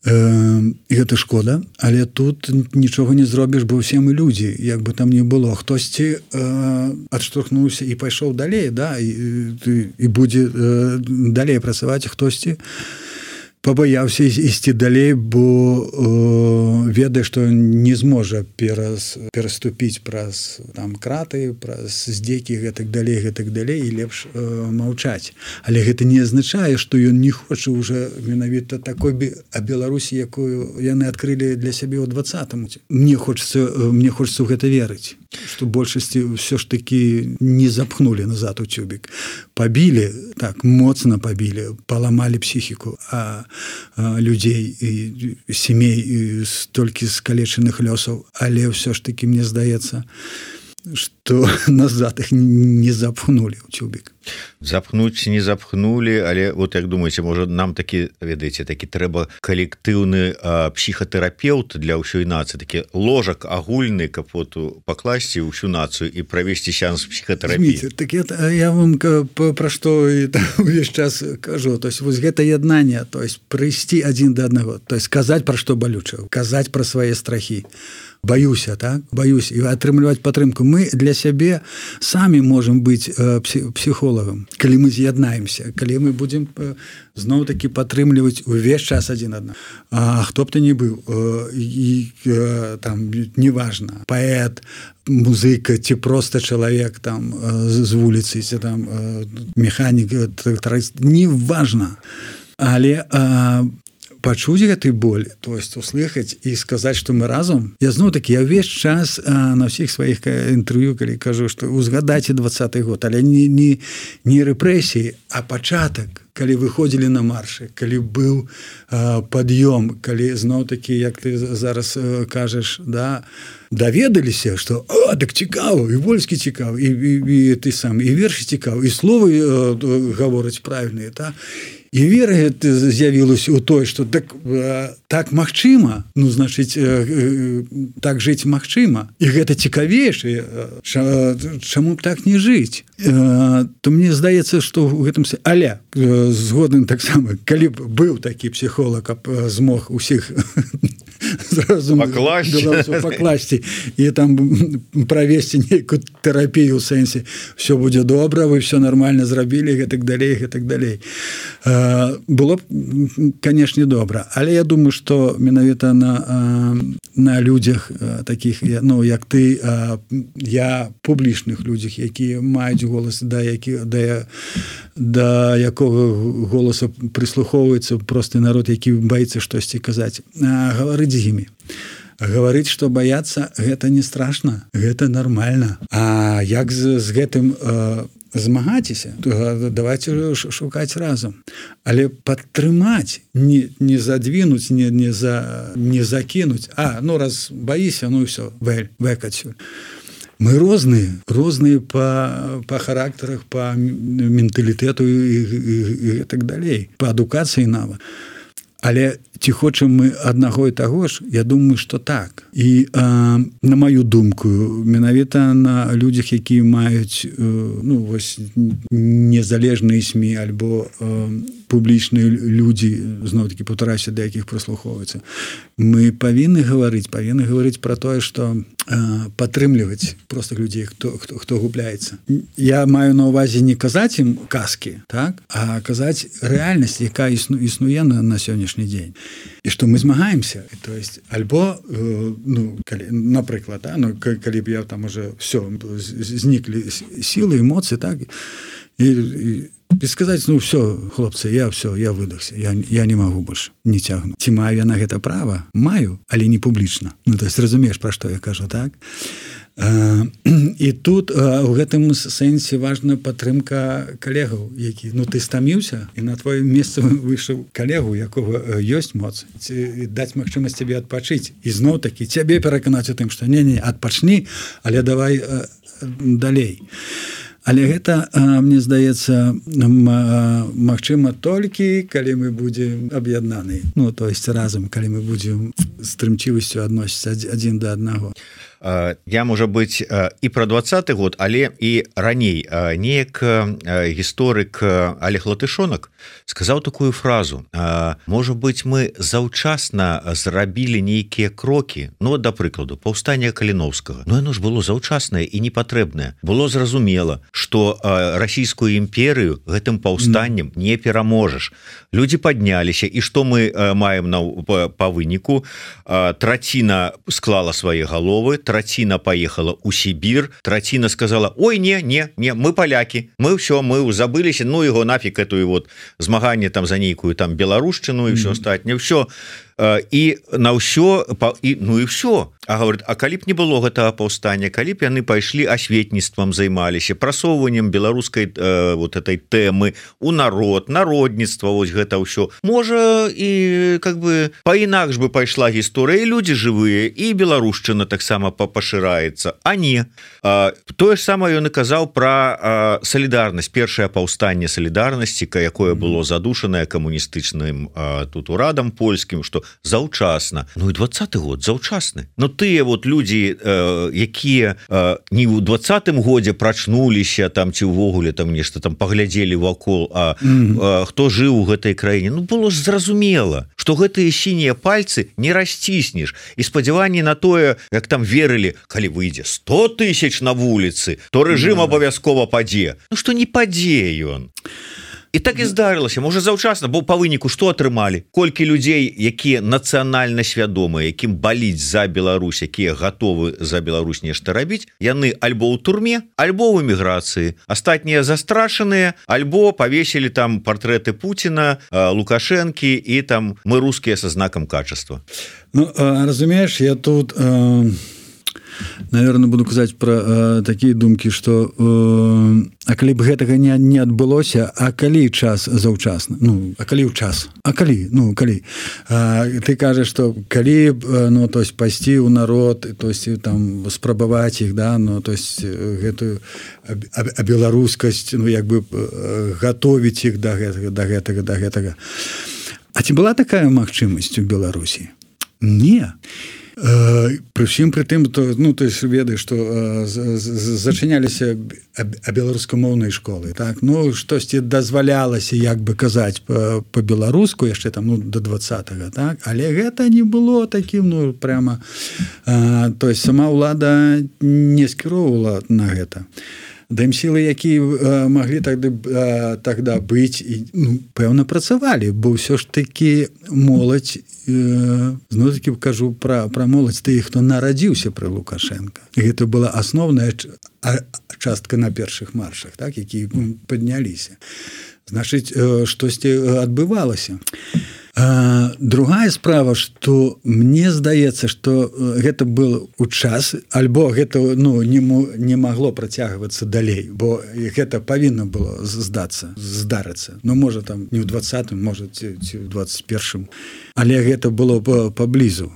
э, гэта шкода але тут нічога не зробіш бо ўсе мы людзі як бы там не было хтосьці э, адштурхнуўся і пайшоў далей да і, і, і будзе э, далей працаваць хтосьці пабаяўся ісці далей бо э, ведае што не зможа перас, пераступіць праз там краты праз здзекі гэтак далей гэтак далей і лепш э, маўчаць але гэта не азначае што ён не хоча уже менавіта такой а Беларусі якую яны адкрылі для сябе ў двадцатым мне хочется мне хочется ў гэта верыць што большасці ўсё ж такі не запхнули назад у цюбік пабілі так моцна пабілі паламалі псіхіку а людзей і сямей столькі скалечаных лёсаў але ўсё ж такі мне здаецца што назад іх не запхнули ў цюбік запхнуць не запхнули але вот як думаеце можа нам такі ведаеце такі трэба калектыўны псіхатэрапеўт для ўсёй нацыі такі ложак агульны каб вот пакласці ўсю нацыю і правесці сеанс псіхатэрапіі так это я вам пра што увесь час кажу то есть вось гэта яднанне то есть прыйсці адзін да аднаго то есть казаць пра што балюча казаць пра свае страхі баюся так баюсь і атрымліваць падтрымку мы для сябе самі можам быць псіхолагам калі мы з'яднаемся калі мы будзем зноў такі падтрымліваць увесь час адзін адна а хто б ты не быў і там неважна паэт музыка ці проста чалавек там з вуліцы ці там механік трактарыст неважна але пачуць гэты боль то есть услыхаць і сказаць што мы разам я зноў такі я ўвесь час а, на ўсіх сваіх інтэрв'ю калі кажу што узгадайце двадцаты год але не, не, не рэпрэсіі а пачатак калі выходзілі на маршы калі быў а, пад'ём калі зноў такі як ты зараз а, кажаш да даведаліся што а так цікава і вольскі цікавы і, і, і ты сам і вершы цікавы і словы а, гавораць правільныя та і вера з'явілася ў той што так, так магчыма ну значыць так жыць магчыма і гэта цікавейшае чаму б так не жыць то мне здаецца што ў гэтым але згодны таксама калі б быў такі псіхолог каб змог усіх пакласці і там правесці нейкую тэрапію ў сэнсе все будзе добра вы все нормально зрабілі гэтак далей гэтак далей а было б, канешне, добра, але я думаю, што менавіта на, на людзях такіх, ну, як ты, я публічных людзях, якія маюць голас, да, які, да, да якога голаса прыслухоўваецца просты народ, які баіцца штосьці казаць, гаварыць з імі. Гаварыць, што баяцца, гэта не страшна, гэта нармальна. А як з, з гэтым э, змагаціся, то давайте шукаць разам. Але падтрымаць, не, не задвинуць, не, не, за, не закінуць. А, ну раз баіся, ну і все, вэль, вэк адсюль. Мы розныя, розныя па, па характарах, па менталітэту і, і, і так далей, па адукацыі нават. Але ці хочам мы аднаго і таго ж, я думаю, што так. І э, на маю думку, менавіта на людзях, якія маюць э, ну, вось, незалежныя СМІ альбо э, публічныя людзі, зноў-такі паўтараюся, да якіх прыслухоўваюцца, мы павінны гаварыць, павінны гаварыць пра тое, што э, падтрымліваць простых людзей, хто, хто, хто губляецца. Я маю на ўвазе не казаць ім казкі, так? А казаць рэальнасць, якая існу, існуе на, на сённяшні дзень. І што мы змагаемся. То есть, альбо, э, ну, калі, напрыклад, да, ну, калі б я там уже все, зніклі сілы, эмоцыі, так? І, і, і сказаць, ну, все, хлопцы, я все, я выдохся, я, я не магу больш, не цягну. Ці маю я на гэта права? Маю, але не публічна. Ну, то есть, разумееш, пра што я кажу, так? І тут у гэтым сэнсе важна падтрымка калегаў, які, ну, ты стаміўся, і на твоё месца выйшаў калегу, якога ёсць моц, даць магчымасць цябе адпачыць. І зноў такі цябе пераканаць у тым, што не-не, адпачні, але давай а, далей. Але гэта, мне здаецца, магчыма толькі, калі мы будзем аб'яднаныя. Ну, то есть разам, калі мы будзем з трымчывасцю адносіцца адзін да аднаго. Я, можа быць, і пра двадцаты год, але і раней неяк гісторык Олег Латышонак сказаў такую фразу: можа быць, мы заўчасна зрабілі нейкія крокі, ну, да прыкладу, паўстання Каліноўскага. Ну, яно ж было заўчаснае і непатрэбнае. Было зразумела, што расійскую імперыю гэтым паўстаннем не пераможаш. Людзі падняліся, і што мы маем на, па, па выніку? Траціна склала свае галовы, траціна поехала у Сібір, траціна сказала: ой, не, не, не, мы поляки, мы все, мы забыліся, ну его нафиг эту вот змаганне там за нейкую там беларушчыну і все астатняе, все. І на ўсё, і, ну і все. А говорит, а калі б не было гэтага паўстання, калі б яны пайшлі асветніцтвам, займаліся прасоўваннем беларускай э, вот этой тэмы у народ, народніцтва, вось гэта ўсё. Можа, і как бы па-інакш бы пайшла гісторыя, і людзі жывыя, і беларушчына таксама пашыраецца. А не. А, тое ж самае ён і казаў пра салідарнасць, першае паўстанне салідарнасці, якое было задушанае камуністычным а, тут урадам польскім, што заўчасна. Ну і двадцаты год заўчасны. Ну тыя вот людзі, э, якія э, не ў двадцатым годзе прачнуліся там ці ўвогуле там нешта там паглядзелі вакол, а mm-hmm. э, хто жыў у гэтай краіне, ну было ж зразумела, што гэтыя сінія пальцы не расціснеш. І спадзяванні на тое, як там верылі, калі выйдзе сто тысяч на вуліцы, то рэжым mm-hmm. абавязкова падзе. Ну што не падзе ён. І так і здарылася, можа заўчасна, бо па выніку што атрымалі? Колькі людзей, якія нацыянальна свядомыя, якім баліць за Беларусь, якія гатовы за Беларусь нешта рабіць, яны альбо ў турме, альбо ў эміграцыі. Астатнія застрашаныя, альбо павесілі там партрэты Пуціна, Лукашэнкі і там мы рускія са знакам качества. Ну, разумееш, я тут... Э... Наверное, буду казаць пра э, такія думкі, што э, а калі б гэтага не, не адбылося, а калі час заўчасна? Ну, а калі ў час? А калі? Ну, калі? А, ты кажаш, што калі б, ну, то есть пайсці ў народ, то есть там спрабаваць іх, да, ну, то есть гэтую беларускасць, ну, як бы гатовіць іх да гэтага, да гэтага, да гэтага. А ці была такая магчымасць у Беларусі? Не. Пры ўсім пры тым, то, ну, то есть ведаеш, што зачыняліся беларускамоўныя школы, так, ну, штосьці дазвалялася, як бы казаць па-беларуску яшчэ там, ну, да двадцатага, так, але гэта не было такім, ну, прямо, а, то есть сама ўлада не скіроўвала на гэта. дэмсілы, якія маглі тады тогда быць і ну, пэўна працавалі, бо ўсё ж такі моладзь, зноў такі кажу пра, пра моладзь тых, хто нарадзіўся пры Лукашенка. Гэта была асноўная частка на першых маршах, так, які падняліся. Значыць, штосьці адбывалася. А, другая справа, што мне здаецца, што гэта был у час, альбо гэта ну, не, не магло працягвацца далей, бо гэта павінна было здацца, здарыцца. Ну, можа, там не ў двадцатым, можа, ці, ці ў двадцать першым, але гэта было паблізу.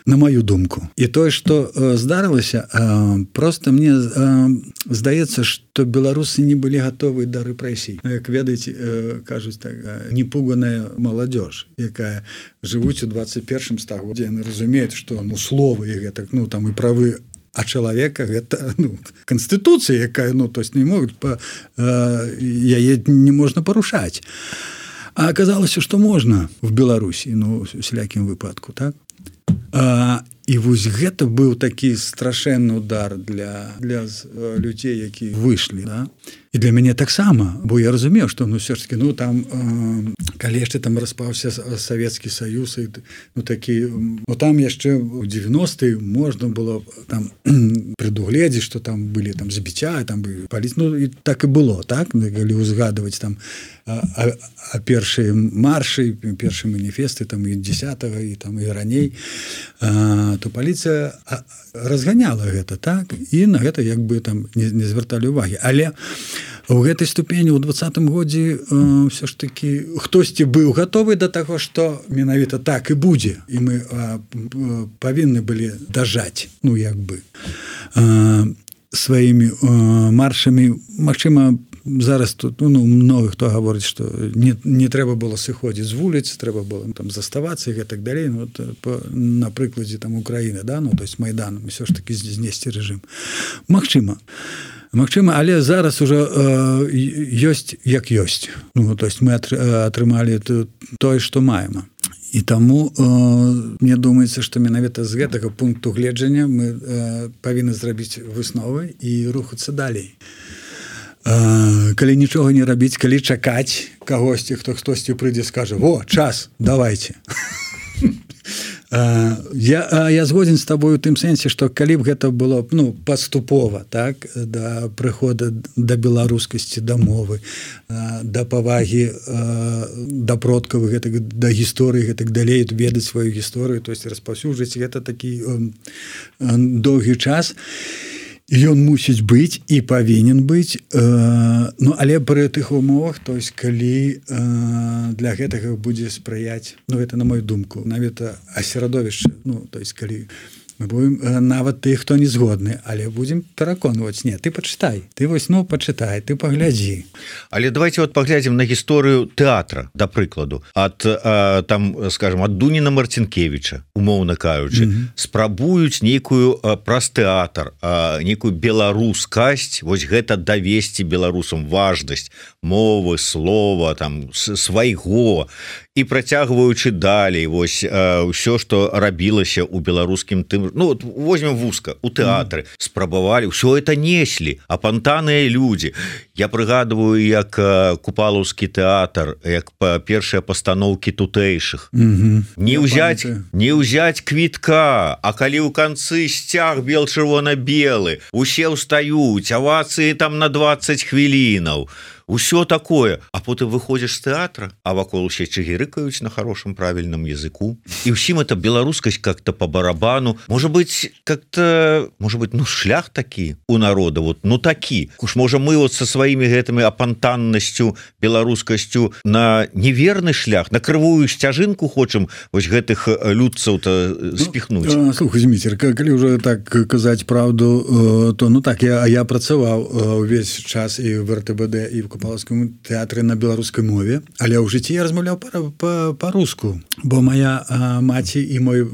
На мою думку. І тое, што э, здарылася, э, просто мне э, здаецца, што беларусы не былі гатовы да рэпрэсій. Як ведаеце, э, кажуць так, э, непуганая маладзёж, якая жывуць у двадцать першым стагоддзі, яны разумеюць, што ну, словы і гэта, ну, там і правы а чалавека гэта ну, канстытуцыя, якая ну, то есть не могуць па, э, яе не можна парушаць. А аказалася, што можна в Беларусі, ну, у всялякім выпадку, так? А, і вось гэта быў такі страшэнны удар для, для людзей, які выйшлі, да? І для мяне таксама, бо я разумеў, што ну ўсё ж таки, ну там э, калі яшчэ там распаўся Савецкі Саюз, і, ну такі, ну там яшчэ у девяностые можна было там прадугледзець, што там былі там забіцця, там былі паліць, ну і так і было, так, калі узгадваць там а, а, а першыя маршы, першыя маніфесты там і десятого і там і раней, а, то паліцыя разганяла гэта, так, і на гэта як бы там не, не звярталі ўвагі, але у гэтай ступені ў двадцатым годзе э, ўсё ж такі хтосьці быў гатовы да таго, што менавіта так і будзе, і мы э, павінны былі дажаць, ну як бы э, сваімі э, маршамі. Магчыма, зараз тут ну, много хто гаворыць, што не, не трэба было сыходзіць з вуліц, трэба было там заставацца і гэтак далей, ну, по, на прыкладзе там Украіны, да, ну, то есть Майданом, ўсё ж такі знесці рэжым. Магчыма. Магчыма, але зараз уже э, ёсць як ёсць. Ну, то есть мы атрымалі тое, што маем. І таму э, мне думаецца, што менавіта з гэтага пункту гледжання мы э, павінны зрабіць высновы і рухацца далей. Э, калі нічога не рабіць, калі чакаць кагосьці, хто хтосьці прыйдзе, скажа: «Во, час, давайте». Я, я згоден з табою у тым сэнсе, што калі б гэта было ну, паступова, так, да прыхода да беларускасці, да мовы, да павагі да продкаў, гэтак, да гісторыі, гэтак далей, ведаць сваю гісторыю, то есть распаўсюджваць, гэта такі доўгі час. Ён мусіць быць і павінен быць, э, ну, але пры тых умовах, то есть калі э, для гэтага будзе спрыяць, ну, гэта на мою думку, навіта асерадовішча, ну, то есть калі мы будем э, нават тых, хто не згодны, але будзем пераконваць, не, ты пачытай, ты вось, ну, пачытай, ты паглядзі. Але давайте вот паглядзім на гісторыю тэатра, да прыкладу, ад э, там, скажем, ад Дуніна Марцінкевіча, умоўна кажучы, mm-hmm. спрабуюць нейкую э, праз тэатр, э, нейкую беларускасць, вось гэта давесці беларусам важнасць мовы, слова, там, свайго, і працягваючы далей, вось э, ўсё, што рабілася ў беларускім тым, ну, вот, возьмем вузка, у тэатры, mm. спрабавалі, ўсё это неслі, апантаныя людзі. Я прыгадываю, як э, Купалаўскі тэатр, як па першыя пастаноўкі тутэйшых. Mm-hmm. Не ўзяць, не ўзяць квітка, а калі ў канцы сцяг бел-чырвона-белы, усе ўстаюць, авацыі там на двадцать хвілінаў. Усё такое, а потым выходзіш з тэатра, а вакол усе чыгірыкаюць на хорошем правільным языку. І ўсім это беларускасць как-то по барабану. Может быть, как-то, может быть, ну, шлях такі у народа, вот, ну, такі. Уж, можа, мы вот со сваімі гэтымі апантаннасцю, беларускасцю на неверны шлях, на крывую сцяжынку хочам вось гэтых людцаў-то спіхнуць. Ну, слухай, Зміцер, калі ўжо так казаць правду, то, ну, так, я, я працаваў увесь час і в эр тэ бэ дэ, і в Купалаўскім тэатры на беларускай мове, але ў жыцці я размаўляў па-руску, бо моя а, маці і мой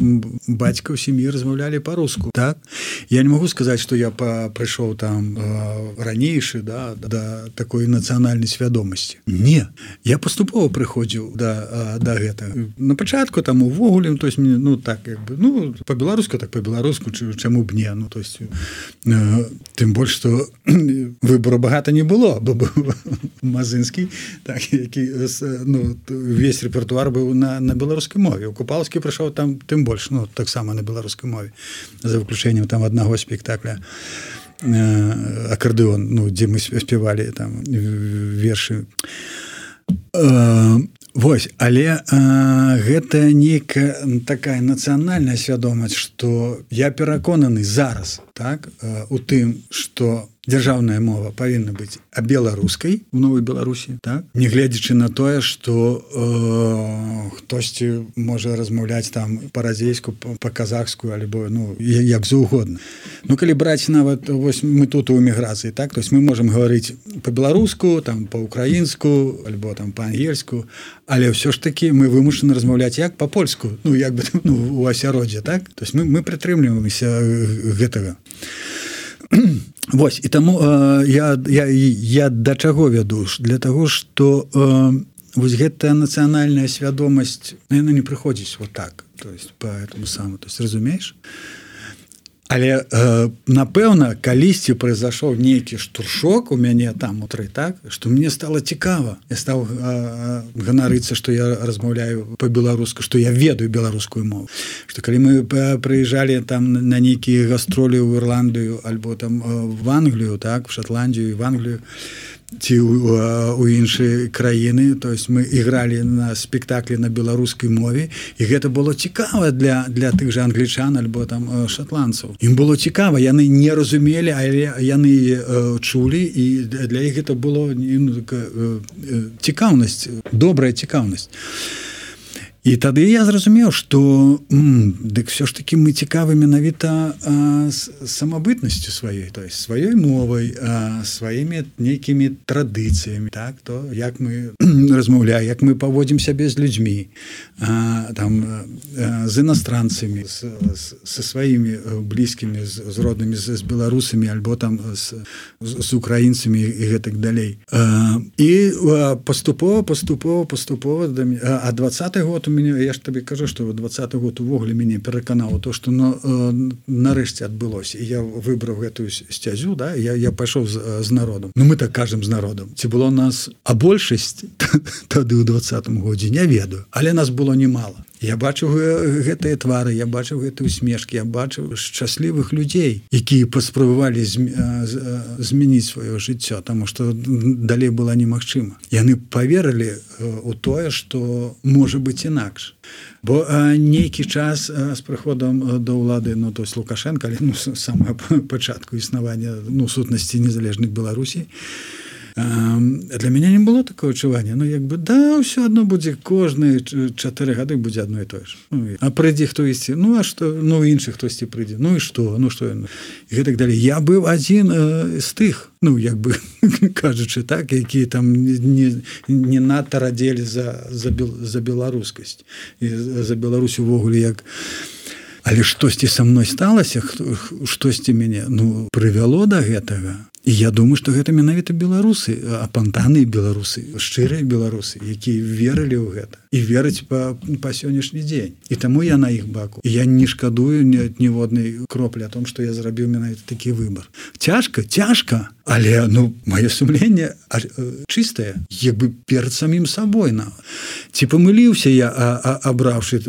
бацька ў сям'і размаўлялі па-руску, так? Я не магу сказаць, што я прыйшоў там а, ранейшы, да, да такой нацыянальнай свядомасці. Не, я паступова прыходзіў да, да гэтага. На пачатку там увогуле, то есть, ну, так, як бы, ну, па-беларуску, так па-беларуску, чаму б не, ну, то есть, э, тым больш, што в выбору багата не было, бо быў Мазынскі, так, які, ну, весь рэпертуар быў на, на беларускай мове. У Купалскі прыйшоў там тым больш, ну, таксама на беларускай мове, за выключэннем там аднаго спектакля э, акардэон, ну, дзе мы спявалі там вершы. Э, Вось, але а, гэта нейкая такая нацыянальная свядомасць, што я пераконаны зараз, так, у тым, што дзяржаўная мова павінна быць а беларускай у Новай Беларусі, так, нягледзячы на тое, што э, хтосьці можа размаўляць там па-разейску, па-казахску, альбо, ну, як заўгодна. Ну, калі браць нават, вось мы тут у эміграцыі, так, то есть мы можам гаварыць па-беларуску, там, па-украінску, альбо там па-ангельску, але ўсё ж такі мы вымушаны размаўляць як па-польску, ну, як бы, ну, у асяроддзе, так? То есть мы, мы прытрымліваемся гэтага. Вось, і таму э, я, я, я да чаго вяду? Для таго, што э, вось гэтая нацыянальная свядомасць, яна не прыходзіць вот так, то есть по этому самому, то есть разумееш? Але э, напэўна, калісьці прайзашоў нейкі штуршок у мяне там утры, так, што мне стало цікава. Я стаў э, ганарыцца, што я размаўляю па-беларуску, што я ведаю беларускую мову. Што калі мы прыязджалі там на нейкія гастролі ў Ірландыю альбо там в Англію, так, в Шотландію і в Англію, ці ў іншыя краіны, то есть мы ігралі на спектаклі на беларускай мове, і гэта было цікава для, для тых жа англічан альбо там шотландцаў. Ім было цікава, яны не разумелі, але яны э, чулі, і для іх гэта было ну, э, цікаўнасць, добрая цікаўнасць. І тады я зразумеў, што дык все ж таки мы цікавы менавіта самабытнасцю сваёй, то есть сваёй мовай, а, сваімі нейкімі традыцыямі, так, то як мы размаўляем, як мы паводзім сябе з людзьмі, а, там, а, з іностранцамі, са сваімі блізкімі, з, з роднымі, з, з беларусамі, альбо там з, з украінцамі і гэтак далей. А, і а, паступова, паступова, паступова, а двадцаты год у мяне, я ж табе кажу, што двадцаты год увогуле мяне пераканаў то, што ну, нарэшце адбылося, і я выбраў гэтую сцязю, да, я, я пайшоў з, з народам. Ну мы так кажам з народам. Ці было нас, а большасць тады ў двадцатым годзе не ведаю, але нас было немало. Я бачыў гэтыя твары, я бачыў гэтыя усмешкі, я бачыў шчаслівых людзей, якія паспрабавалі змяніць сваё жыццё, таму што далей была немагчыма. Яны паверылі ў тое, што можа быць інакш. Бо нейкі час з прыходам да ўлады, ну, то есть Лукашенка, ну, з самага пачатку існавання, ну, сутнасці незалежных Беларусі, для мяне не было такого адчування. Ну, як бы, да, ўсё адно будзе, кожныя чатыры гады будзе адно і тое ж. Ну, а прыйдзе хтосьці, ну, а што, ну, іншы хтосьці прыйдзе, ну, і што, ну, што, і гэтак далей. Я быў адзін э, з тых, ну, як бы, кажучы так, якія там не, не надта радзелі за, за, за беларускасць, і за Беларусь увогуле, як... Але штосьці са мной сталася, штосьці мяне, ну, прывяло да гэтага. І я думаю, што гэта менавіта беларусы, апантаныя беларусы, шчырыя беларусы, якія верылі ў гэта і вераць па, па сённяшні дзень. І таму я на іх баку. І я не шкадую ніводнай кроплі о том, што я зрабіў менавіта такі выбар. Цяжка, цяжка, але, ну, маё сумленне чыстае, як бы перад самім сабой. На. Ці памыліўся я, а, а, абраўшы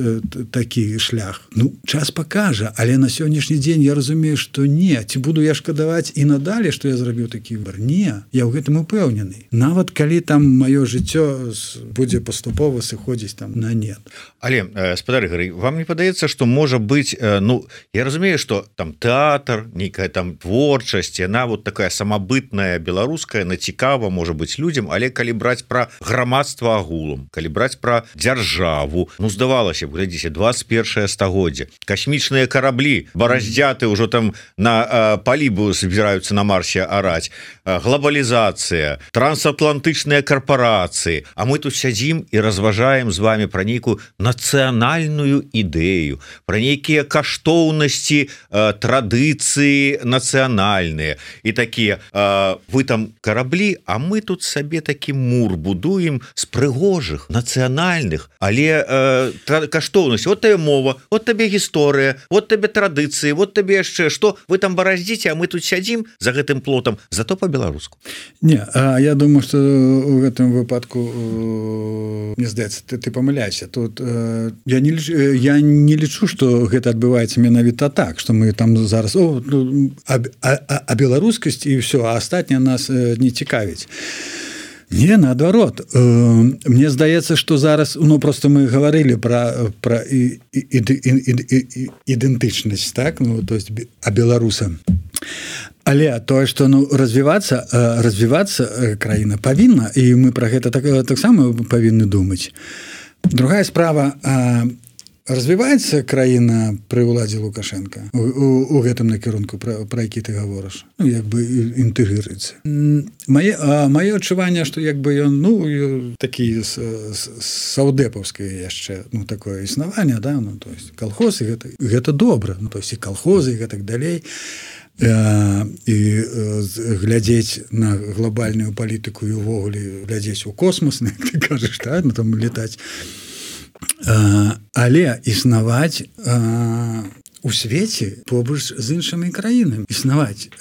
такі шлях? Ну, час пакажа, але на сённяшні дзень я разумею, што не. Ці буду я шкадаваць і надалей, што я зрабіў такі выбар? Не, я ў гэтым упэўнены. Нават калі там маё жыццё будзе паступова сыходзіць там на нет. Але, э, спадар Ігор, вам не падаецца, што можа быць, э, ну, я разумею, што там тэатр, нейкая там творчасць, яна вот такая самабытная беларуская, на цікава можа быць людзям, але калі браць пра грамадства агулам, калі браць пра дзяржаву, ну, здавалася б, глядзіце, двадцать першае стагоддзе, касмічныя караблі, бараздзяты ўжо там на э, палібу збіраюцца на Марсе араць, э, глобалізацыя, трансатлантычныя карпорацыі, а мы тут сядзім і разважаем размаўляем з вами пра нейкую нацыянальную ідэю, пра нейкія каштоўнасці, традыцыі нацыянальныя і такія, вы там караблі, а мы тут сабе такі мур будуем з прыгожых нацыянальных, але каштоўнасць, вот табе мова, вот табе гісторыя, вот табе традыцыі, вот табе яшчэ што, вы там бараздзіце, а мы тут сядзім за гэтым плотам, зато по-беларуску. Не, а я думаю, что у гэтым выпадку, мне здаецца, ты, ты памыляйся. Тут я не лічу, я не лічу, что гэта адбываецца менавіта так, что мы там зараз о, а, а, а беларускасць і все, а астатняе нас не цікавіць. Не, наадварот. Мне здаецца, што зараз, ну, просто мы гаварылі пра, пра і, і, і, і, і, ідэнтычнасць, так? Ну, то есть, а беларуса. Але тое, што ну, развівацца, развівацца краіна павінна, і мы пра гэта так, таксама павінны думаць. Другая справа, развіваецца краіна пры ўладзе Лукашенка у, у, у гэтым накірунку, пра, пра які ты гаворыш, ну, як бы інтэгрыруецца. Мае, мае адчуванне, што як бы ён, ну, такі саўдэпаўскае яшчэ, ну, такое існаванне, да, ну, то есть калхозы, гэта, гэта добра, ну, то есть і калхозы, і гэтак далей, і глядзець на глобальную палітыку і ўвогуле глядзець у космос, як ты кажаш, да, ну, там летаць. Але існаваць у свеце побач з іншымі краінамі, існаваць,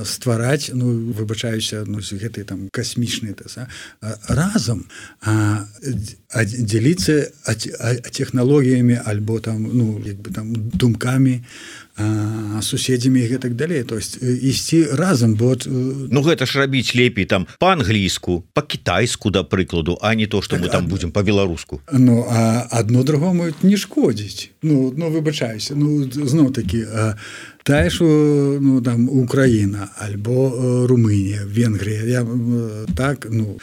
ствараць, ну, выбачаюся, ну, гэтай там касмічнай разам, дзеліцца тэхналогіямі альбо там, ну, як бы там думкамі, суседзямі і гэтак далей, то есть ісці разам, бо ну гэта ж рабіць лепей там па-англійску, па-кітайску, да прыкладу, а не то, што мы там будзем па-беларуску. Ну, а адно другому не шкодзіць. Ну, ну выбачаюся, ну зноў такі, тая ж, ну, там Украіна альбо Румынія, Венгрія, я, так, ну,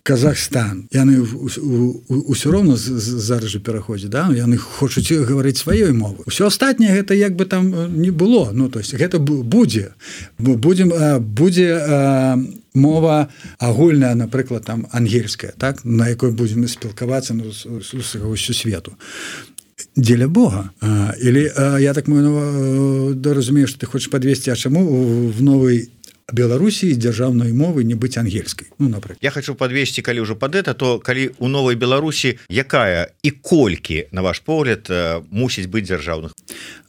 Казахстан, яны ўсё роўна зараз жа пераходзяць, да, яны хочуць гаварыць сваёй мовай. Усё астатняе гэта як бы там не было, ну, то есть гэта будзе, будзем, будзе мова агульная, напрыклад, там ангельская, так, на якой будзем спілкавацца, ну, з усю свету. Дзеля Бога. Или я так разумею, что ты хочешь подвести, а чему в новой Беларусі дзяржаўнай мовы не быць ангельскай, ну, напрыклад. Я хочу подвесці, калі ўжо пад это, то калі у новай Беларусі якая і колькі, на ваш погляд, мусіць быць дзяржаўных?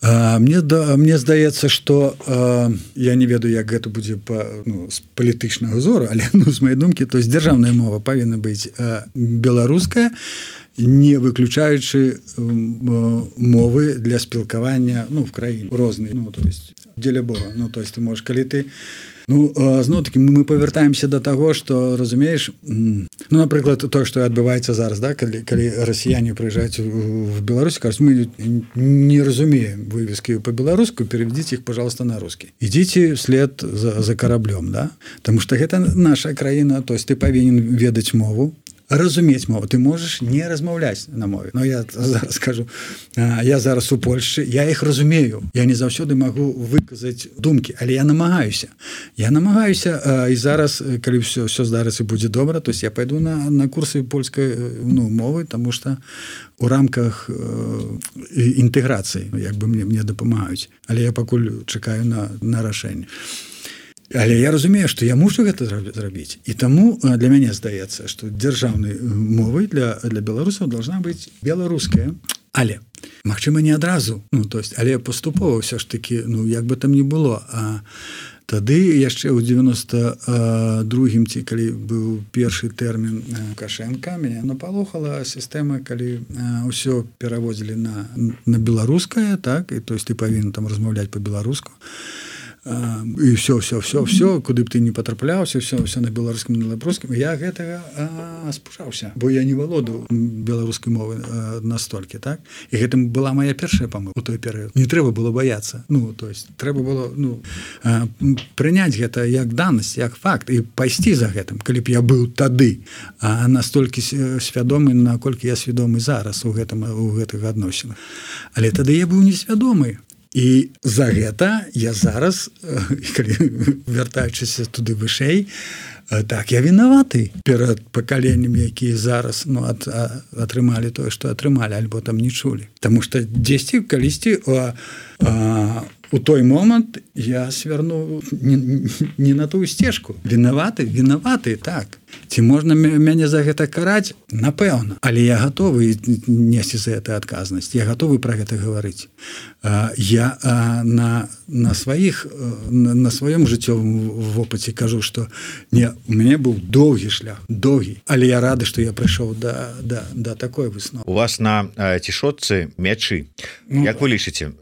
Мне, да, мне здаецца, што я не ведаю, як гэта будзе па, ну, з палітычнага зору, але, ну, з моей думкі, то есть дзяржаўная мова павінна быць беларуская, не выключаючы мовы для спілкавання, ну, в краіне розныя, ну, то есть дзеля Бога, ну, то есть ты можешь, калі ты, ну, зноў-такі мы павяртаемся да таго, што, разумееш, ну, напрыклад, тое, што адбываецца зараз, да, калі, калі расіяне прыязджаюць в Беларусь, кажуць, мы не разумеем вывескі по-беларуску, переведите их, пожалуйста, на русский. Ідзіце вслед за, за караблём, да, потому что гэта наша краіна, то есть ты павінен ведаць мову, разумець мову, ты можаш не размаўляць на мове. Но я зараз скажу, я зараз у Польшчы, я іх разумею, я не заўсёды магу выказаць думкі, але я намагаюся. Я намагаюся, і зараз, калі ўсё, ўсё здарыцца будзе добра, то есть я пайду на, на курсы польскай, ну, мовы, таму што у рамках інтэграцыі, як бы мне, мне дапамагаюць. Але я пакуль чакаю на, на рашэнне. Але я разумею, што я мушу гэта зрабіць. І таму для мяне здаецца, што дзяржаўнай мовай для, для беларусаў должна быць беларуская. Але, магчыма, не адразу, ну, то есть, але паступова ўсё ж такі, ну, як бы там не было. А тады яшчэ ў девяносто другім, ці калі быў першы тэрмін Лукашенка, мяне напалохала сістэма, калі ўсё пераводзілі на, на беларускае, так, і то есть ты павінен там размаўляць па-беларуску. І все, все, все, все, куды б ты не патрапляўся, все, все на беларускім, на лабрускім. Я гэтага спужаўся, бо я не валодаў беларускай мовы настолькі, так? І гэтым была моя першая памылка у той перыяд. Не трэба было баяцца. Ну, то есть, трэба было, ну, прыняць гэта як данасць, як факт, і пайсці за гэтым, калі б я быў тады, а настолькі свядомы, наколькі я свядомы зараз у гэтым, у гэтых адносінах. Але тады я быў несвядомы. і за гэта я зараз вяртаючыся туды вышэй, так я вінаваты перад пакаленнем, якія зараз ну, ат, а, атрымалі тое, што атрымалі, альбо там не чулі. Таму што дзесьці калісьці а, а, у той момант я свярну не, не на тую сцежку. Вінаваты, вінаваты, так. Ці можна мяне за гэта караць? Напэўна. Але я гатовы несці за гэта адказнасць. Я гатовы пра гэта гаварыць. Я на, на сваіх, на, на сваём жыццёвым вопыце кажу, што не, у мяне быў доўгі шлях, доўгі. Але я рады, што я прыйшоў да, да, да такой высновы. У вас на цішотцы мячы. Ну, як вы лічыце,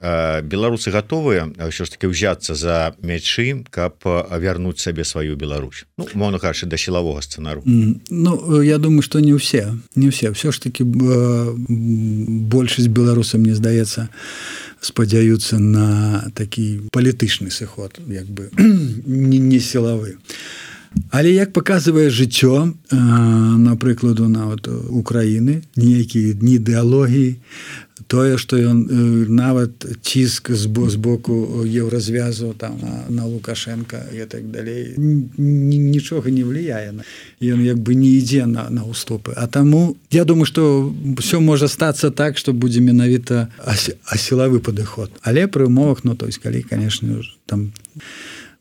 беларусы гатовыя ўсё ж таки ўзяцца за мячы, каб вярнуць сабе сваю Беларусь? Ну, мовна кажучы, да сілавога сцэнару. Ну, я думаю, што не ўсе. Не ўсе. Ўсё ж таки большасць беларусаў, мне здаецца, спадзяюцца на такі палітычны сыход, як бы не, не сілавы. Але як паказвае жыццё, напрыкладу, нават Украіны, ніякія дні ідэалогіі, тое, што ён нават ціск з боку еўразвязу там на Лукашенка і так далей, нічога не влияе. Ён як бы не ідзе на, на уступы. А таму я думаю, што ўсё можа стацца так, што будзе менавіта асілавы падыход. Але пры умовах, ну, то есть, калі, конечно, там...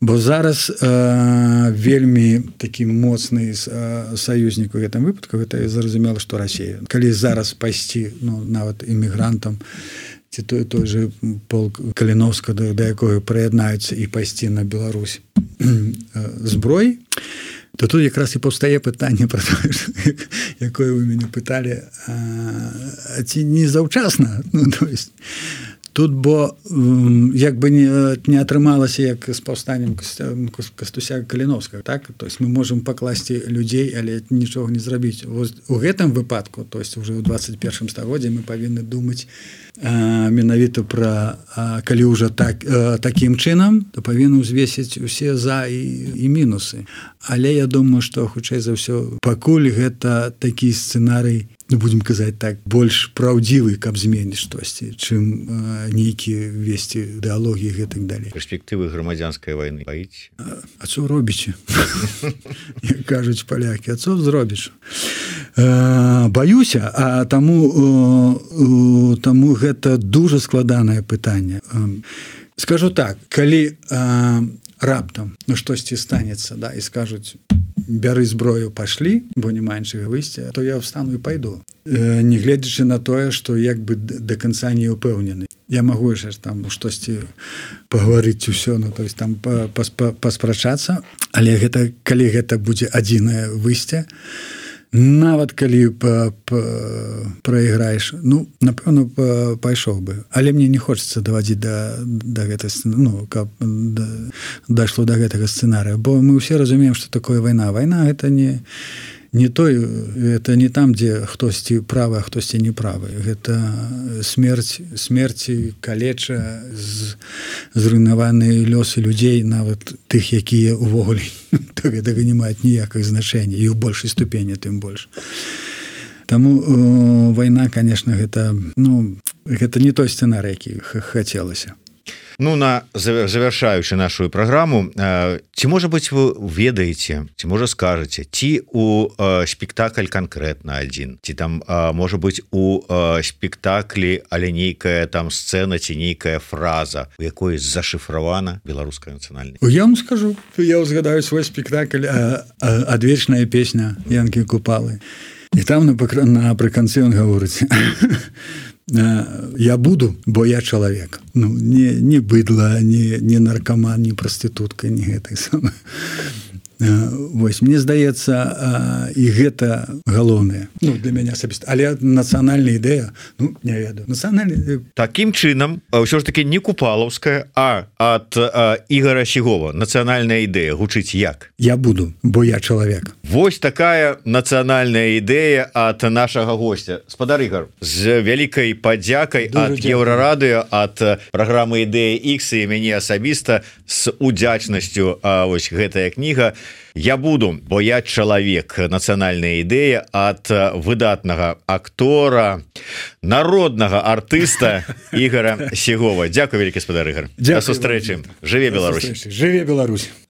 Бо зараз э, вельмі такі моцны э, саюзнік у гэтым выпадку, гэта зразумела, што Расія. Калі зараз пайсці, ну, нават імігрантам, ці той, той же полк Каліновска, да, да якога прыяднаюцца і пайсці на Беларусь зброй, то тут якраз і паўстае пытанне пра тое, якое вы мяне пыталі, а, ці не заўчасна, ну, то есть... Тут, бо як бы не, не атрымалася як з паўстаннем Кастуся Каліновскага, так? То есть мы можам пакласці людзей, але нічога не зрабіць. Вось у гэтым выпадку, то есть уже ў двадцать першым стагоддзі мы павінны думаць а, менавіта пра, а, калі ўжо так, а, такім чынам, то павінны ўзвесіць усе за і, і мінусы. Але я думаю, што хутчэй за ўсё, пакуль гэта такі сцэнарый, ну, будем казаць так, больш праўдзівы, каб зменіць штосьці, чым э, нейкія весці ідэалогіі і гэтак далей. Перспектывы грамадзянскай вайны баіць? А, а цо робіце? Як кажуць палякі, а цо зробіш? Э, баюся, а таму, э, таму гэта дужа складанае пытанне. Э, скажу так, калі э, раптам ну, штосьці станецца, да, і скажуць, бяры зброю, пашлі, бо не меншага выйсця, то я встану і пайду. Э, не гледзячы на тое, што як бы да канца не ўпэўнены. Я магу яшчэ там штосьці пагаварыць усё, ну, то есть там паспрачацца, але гэта, калі гэта будзе адзінае выйсце, нават калі па, па, прайграеш, ну, напэўна, па, пайшоў бы. Але мне не хочацца давадзіць да, да гэта, ну, каб да, дайшло да гэтага сцэнарыя, бо мы ўсе разумеем, што такое вайна. Вайна гэта не, не той, это не там, дзе хтосьці правы, а хтосьці не правы. Гэта смерць, смерці, калеча, з, зруйнаваныя лёсы людзей, нават тых, якія ўвогуле то гэтага не маюць ніякіх значэння, і ў большай ступені тым больш. Таму э, вайна, конечно, гэта, ну, гэта не той сцэнарый, які хацелася. Ну, на завяршаючы нашу праграму, ці, можа быць, вы ведаеце, ці, можа, скажаце, ці у спектакль канкрэтна адзін, ці там, можа быць, у спектаклі, але нейкая там сцэна, ці нейкая фраза, у якой зашыфравана беларуская нацыянальнасць? Я вам скажу, я узгадаю свой спектакль «Адвечная песня» Янкі Купалы. І там напрыканцы ён гаворыць: я буду, бо я чалавек. Ну, не, не быдла, не, не наркаман, не прастытутка, не гэтай самай. Вось, мне здаецца, і гэта галоўнае, ну, для мяне асабіста. Але нацыянальная ідэя, ну, не ведаю. Нацыянальная... Такім чынам, ўсё ж таки не купалаўская, а ад а, Ігора Сігова нацыянальная ідэя гучыць як? Я буду, бо я чалавек. Вось такая нацыянальная ідэя ад нашага гостя. Спадар Ігор, з вялікай падзякай ад Еўрарадыё, ад праграмы «Ідэя Ікс» і мяне асабіста з удзячнасцю, а, вось гэтая кніга Я буду, бо я чалавек, нацыянальная ідэя ад выдатнага актора, народнага артыста Ігора Сегова. Дзякуй, вялікі гаспадар Ігор. Да сустрэчы. Жыве Беларусь. Жыве Беларусь.